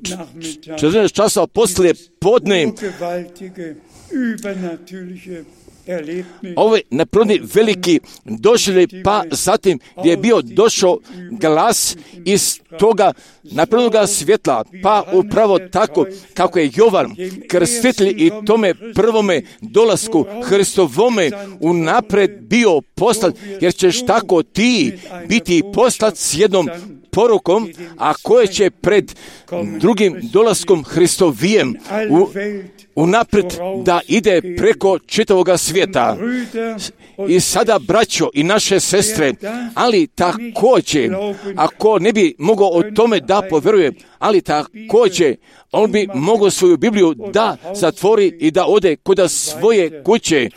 četrnaest časa poslije podne ove naprodni veliki došli, pa zatim gdje je bio došao glas iz toga naprodnoga svjetla, pa upravo tako kako je Jovan krstitelj i tome prvome dolasku Hristovome unapred bio poslat, jer ćeš tako ti biti poslat s jednom porukom, a koje će pred drugim dolaskom Hristovijem u, unapred da ide preko čitavoga svijeta. I sada, braćo i naše sestre, ali također, ako ne bi mogao o tome da povjeruje, ali također, on bi mogao svoju Bibliju da zatvori i da ode kod svoje kuće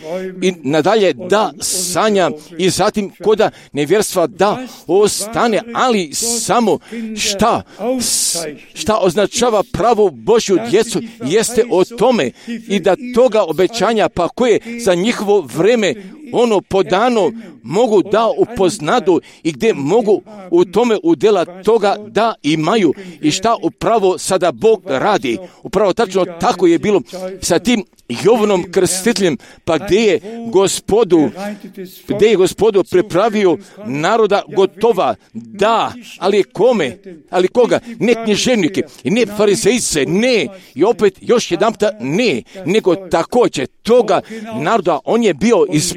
i nadalje da sanja i zatim kod nevjerstva da ostane, ali samo šta, šta označava pravu Božju djecu jeste o tome i da toga obećanja, pa koje za njihovo vreme ono podano mogu da upoznadu i gdje mogu u tome udjela toga da imaju i šta upravo sada Bog radi. Upravo tačno tako je bilo sa tim Jovanom Krstiteljem, pa gdje je Gospodu, gdje je Gospodu pripravio naroda gotova, da, ali kome, ali koga, ne književnike, ne farizejce, ne, i opet još jedanputa ne, nego također toga naroda, on je bio iz,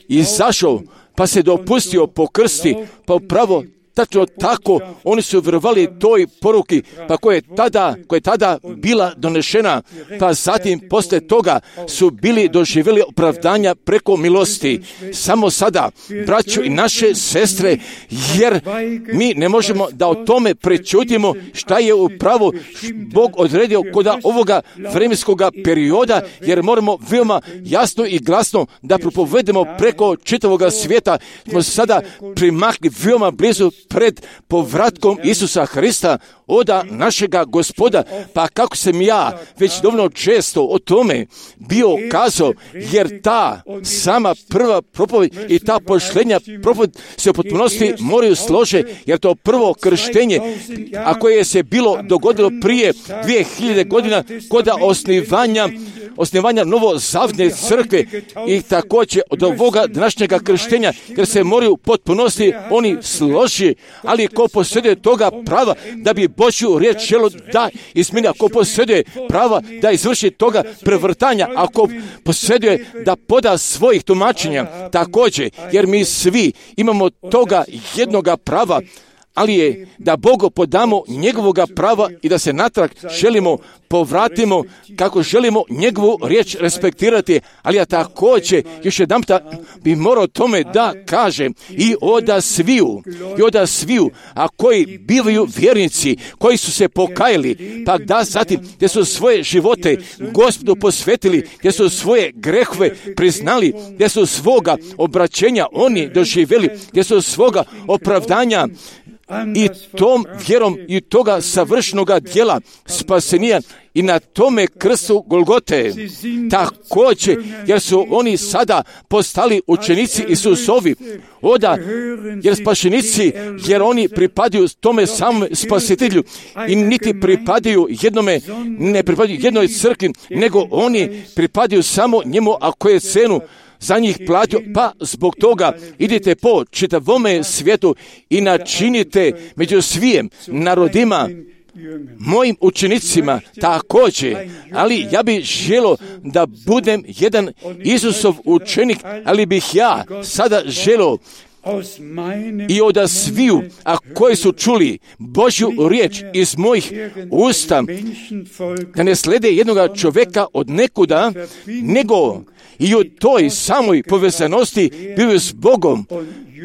izašao, pa se dopustio pokrsti, pa upravo tačno tako, oni su vjerovali toj poruki, pa koja je tada, koja je tada bila donešena, pa zatim poslije toga su bili doživjeli opravdanja preko milosti. Samo sada, braćo i naše sestre, jer mi ne možemo da o tome prečutimo šta je upravo Bog odredio kod ovoga vremenskog perioda, jer moramo veoma jasno i glasno da propovedemo preko čitavoga svijeta. Smo sada primakli veoma blizu pred povratkom Isusa Hrista, oda našega Gospoda. Pa kako sam ja već dovoljno često o tome bio kazao, jer ta sama prva propoved i ta pošljenja propoved se u potpunosti moraju slože, jer to prvo krštenje, a koje se bilo dogodilo prije dvije hiljade godina kod osnivanja osnivanja novozavne crkve i također od ovoga današnjega krštenja, jer se moraju potpunosti oni složi, ali ko posjeduje toga prava da bi Božju riječ želo da izmeni, ako posjeduje prava da izvrši toga prevrtanja, ako posjeduje da poda svojih tumačenja, također, jer mi svi imamo toga jednoga prava, ali je da Bogu podamo njegovoga prava i da se natrag želimo povratimo kako želimo njegovu riječ respektirati, ali ja također još jedan puta bi morao tome da kažem i oda sviju, i oda sviju, a koji bivaju vjernici, koji su se pokajali, pa da zatim gdje su svoje živote Gospodu posvetili, gdje su svoje grehove priznali, gdje su svoga obraćenja oni doživjeli, gdje su svoga opravdanja i tom vjerom i toga savršenoga djela spasenija i na tome krstu Golgote. Također, jer su oni sada postali učenici Isusovi, oda, jer spašenici, jer oni pripadaju tome samom spasitelju i niti pripadaju jednome, ne pripadaju jednoj crkvi, nego oni pripadaju samo njemu, ako je cenu za njih platio, pa zbog toga idite po čitavome svijetu i načinite među svijem narodima mojim učenicima također, ali ja bih želio da budem jedan Isusov učenik, ali bih ja sada želio i od sviju, a koji su čuli Božju riječ iz mojih usta, da ne slede jednoga čovjeka od nekuda, nego i u toj samoj povezanosti bili s Bogom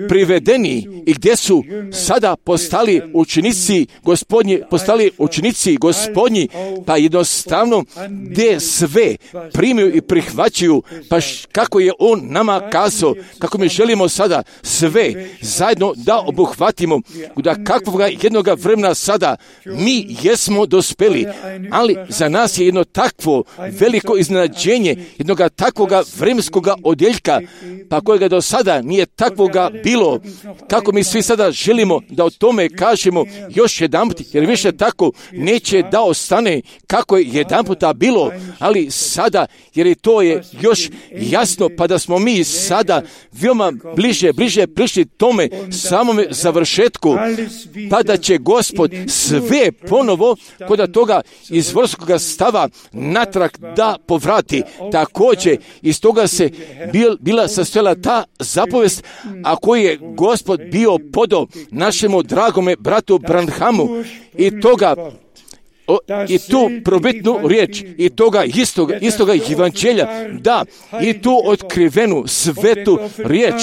privedeni i gdje su sada postali učenici Gospodnji, postali učenici Gospodnji, pa jednostavno gdje sve primiju i prihvaćaju, pa kako je On nama kazao, kako mi želimo sada sve zajedno da obuhvatimo, da kakvoga jednoga vremena sada mi jesmo dospeli, ali za nas je jedno takvo veliko iznenađenje, jednoga takvoga vremenskoga odjeljka, pa kojega do sada nije takvoga bilo, kako mi svi sada želimo da o tome kažemo još jedanput, jer više tako neće da ostane kako je jedanputa bilo, ali sada, jer i to je još jasno, pa da smo mi sada veoma bliže, bliže prišli tome samome završetku, pa da će Gospod sve ponovo kod toga izvorskoga stava natrag da povrati. Također, iz toga se bil, bila sastojala ta zapovest, a koju je Gospod bio podao našemu dragome bratu Branhamu i toga O, i tu probitnu riječ i toga istoga, istoga evanđelja, da, i tu otkrivenu svetu riječ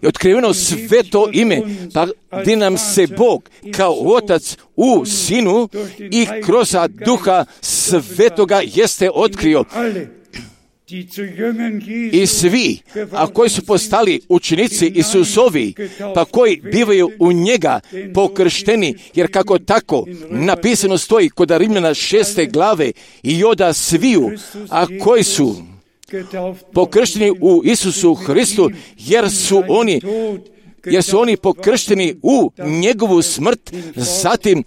i otkriveno sveto ime, pa gdje nam se Bog kao Otac u Sinu i kroz Duha Svetoga jeste otkrio. I svi, a koji su postali učenici Isusovi, pa koji bivaju u njega pokršteni, jer kako tako napisano stoji kod Rimljana šeste glave, i oda sviju, a koji su pokršteni u Isusu Hristu, jer su oni jer su oni pokršteni u njegovu smrt, zatim,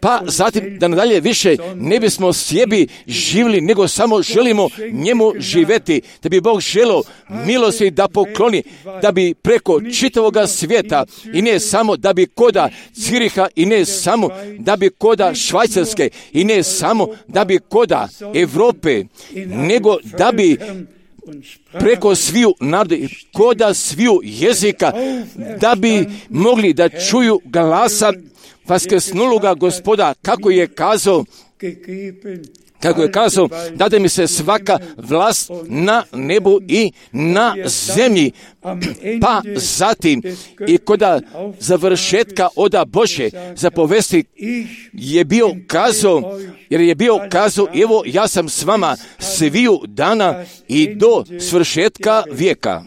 pa zatim da nadalje više ne bismo sebi živjeli, nego samo želimo njemu živjeti, da bi Bog želio milosti da pokloni, da bi preko čitavoga svijeta i ne samo da bi koda Ciriha i ne samo da bi koda Švajcarske i ne samo da bi koda Europe, nego da bi preko sviju naroda, koda sviju jezika, da bi mogli da čuju glasa vaskrsnuloga Gospoda, kako je kazao, kako je kazao, dade mi se svaka vlast na nebu i na zemlji, pa zatim i koda završetka oda Bože zapovesti je bio kazao, jer je bio kazao, evo ja sam s vama sviju dana i do svršetka vijeka.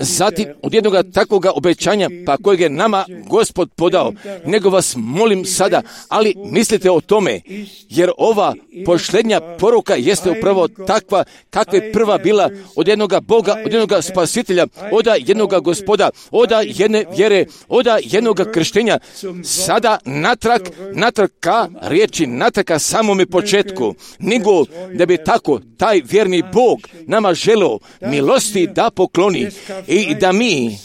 Zatim, od jednog takvog obećanja, pa kojeg je nama Gospod podao, nego vas molim sada, ali mislite o tome, jer ova posljednja poruka jeste upravo takva kakva je prva bila od jednog Boga, od jednog Spasitelja, od jednog Gospoda, od jedne vjere, od jednog krštenja, sada natrag, natrag ka riječi, natrag ka samome početku, nego da bi tako taj vjerni Bog nama želio milosti da pokloni i da mi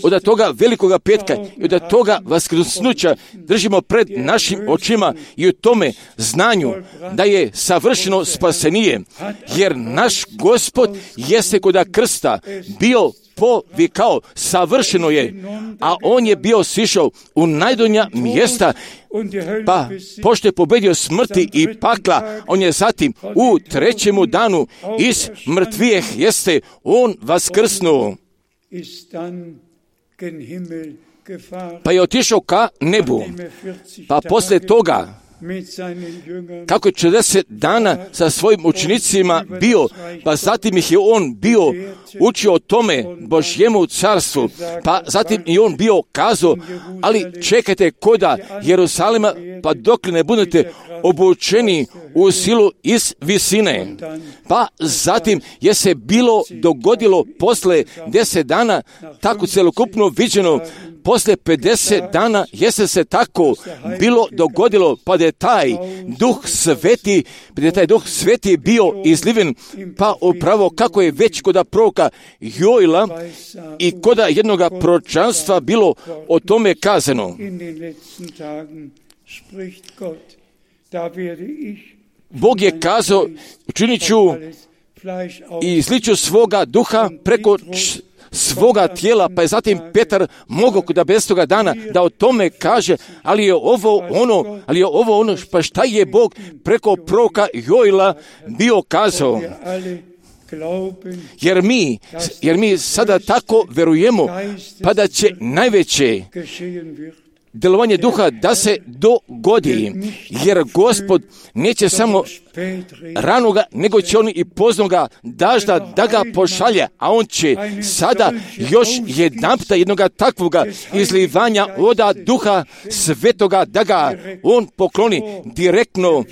od toga velikoga petka i od toga vaskrsnuća držimo pred našim očima i u tome znanju da je savršeno spasenije, jer naš Gospod jeste koda krsta bio povikao, savršeno je, a on je bio sišao u najdonja mjesta, pa pošto je pobedio smrti i pakla, on je zatim u trećemu danu iz mrtvijeh jeste on vaskrsnuo, pa je otišao ka nebu, pa poslije toga kako je četrdeset dana sa svojim učenicima bio, pa zatim ih je on bio učio o tome Božjemu carstvu, pa zatim i on bio kazao, ali čekajte koda Jerusalima, pa dok ne budete obučeni u silu iz visine. Pa zatim je se bilo dogodilo posle deset dana, tako celokupno viđeno, posle pedeset dana jeste se tako bilo dogodilo, pa da je taj duh sveti, pa da je taj duh sveti bio izliven, pa upravo kako je već koda proroka Joila i koda jednoga proročanstva bilo o tome kazano. Bog je kazao, učinit ću i izliću svoga duha preko svoga tijela, pa je zatim Petar mogao da bez toga dana da o tome kaže, ali je ovo ono, ali je ovo ono, pa šta je Bog preko proroka Joila bio kazao. Jer mi, jer mi sada tako verujemo, pa da će najveće djelovanje duha da se dogodi, jer Gospod neće samo ranoga, nego će on i poznoga dažda da ga pošalje, a on će sada još jedanputa jednoga takvoga izlivanja oda duha svetoga da ga on pokloni direktno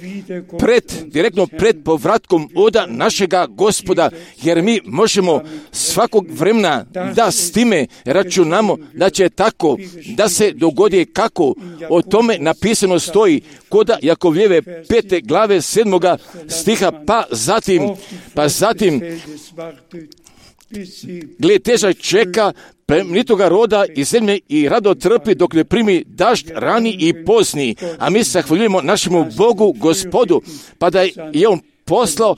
pred, direktno pred povratkom oda našega Gospoda, jer mi možemo svakog vremena da s time računamo da će tako da se dogodi kako o tome napisano stoji koda Jakovljeve pete glave sedmoga stiha, pa zatim, pa zatim gled težak čeka plemenitoga roda i zemlje i rado trpi dok ne primi dažd rani i pozni, a mi se zahvaljujemo našemu Bogu Gospodu, pa da je on poslao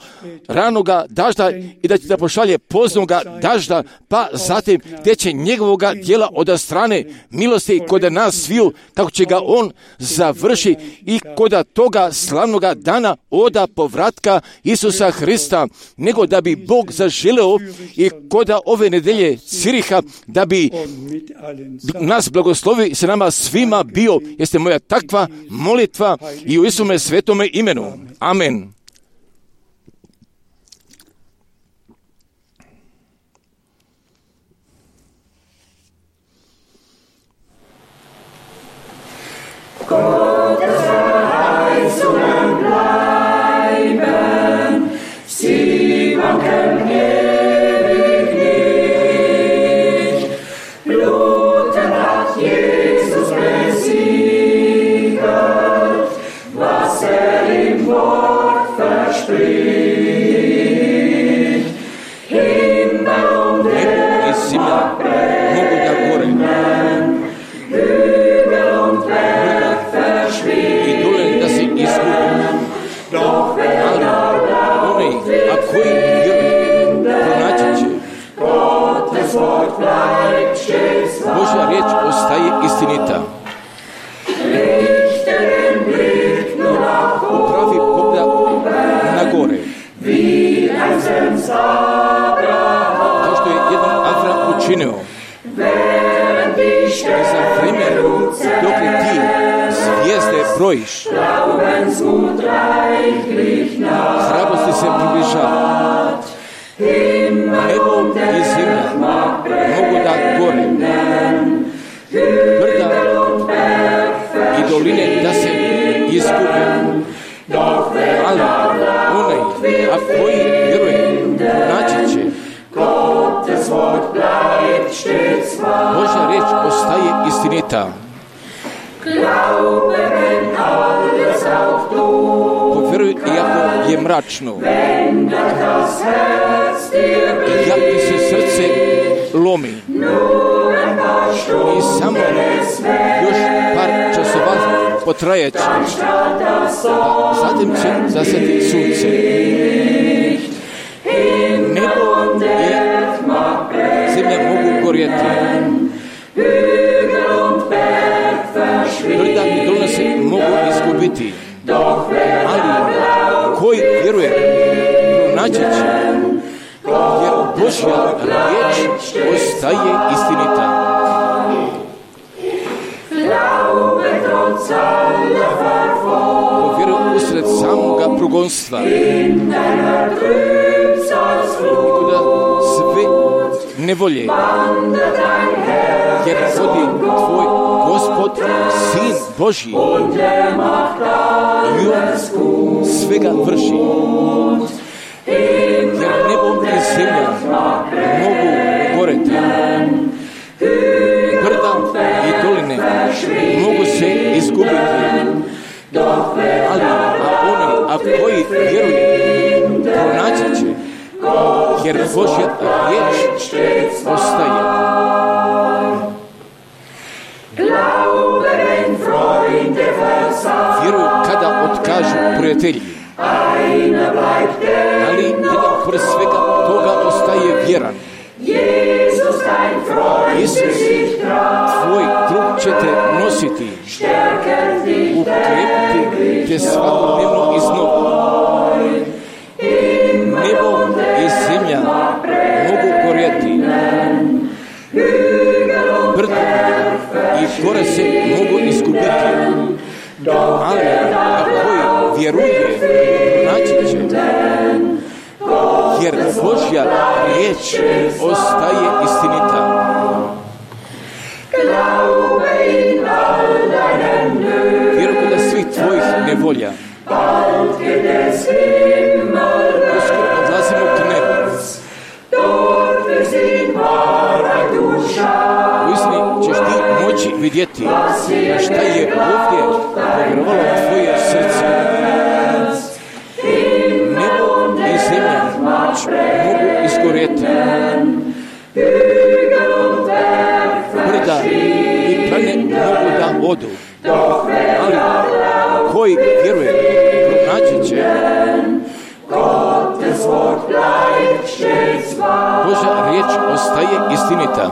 ranoga dažda i da će da pošalje poznoga dažda, pa zatim gdje će njegovoga djela od strane milosti kod nas sviju, kako će ga on završi i kod toga slavnoga dana oda povratka Isusa Hrista, nego da bi Bog zaželeo i kod ove nedelje Ciriha da bi nas blagoslovi i se nama svima bio, jeste moja takva molitva i u Isume svetome imenu. Amen. Gottes Verheißungen bleiben, sie wanken ewig i zemlja mogu da gore, i dole da se izgubi, ali onaj, a koji vjeruje, pronaći će. Božja riječ ostaje istinita. Pravi pogled na gore. Kao što je jedan Avram učinio. I za vreme dok li ti zvijezde brojiš, hrabrosti se približava. Nebo i zemlja mogu da gore, brda i doline da se izgube, ali onaj, a koji vjeruje, naći će. Božja riječ ostaje istinita. Povjeruj, iako je mračno, iako ti se srce lomi, i samo još par časova potrajeće, a zatim će zasjeti sunce. Nebo i zemlja mogu gorjeti, brda i dolina se mogu izgubiti, ali koji vjeruje, pronaći će, jer Božja riječ ostaje istinita. Povjeruj usred samoga progonstva, nikuda sve nevolje, jer vodi tvoj Gospod, Sin Božji, i on svega vrši, jer nebo i zemlja mogu goreti, brda i doline mogu se izgubiti, ali a oni, a koji vjeruje, pronaći će, jer Božja riječ ostaje. Vjeruj kada otkažu prijatelji, ali jedan pored svega toga ostaje vjeran. Isus, tvoj drug će te nositi, ukrepiti te svakodnevno iznova. Nebo i zemlja mogu gorjeti, brda i gore se mogu izgubiti, ali a koji vjeruje, pronaći će, jer Božja riječ ostaje istinita. Vjeruj da svih tvojih nevolja, uskoro odlazimo k nebu. Uistini ćeš ti moći vidjeti šta je ovdje povjerovalo tvoje srce. Nebo i zemlja mogu izgorjeti, brda i plane mogu da odu, ali koji vjeruje, pronaći će. Božja riječ ostaje istinita.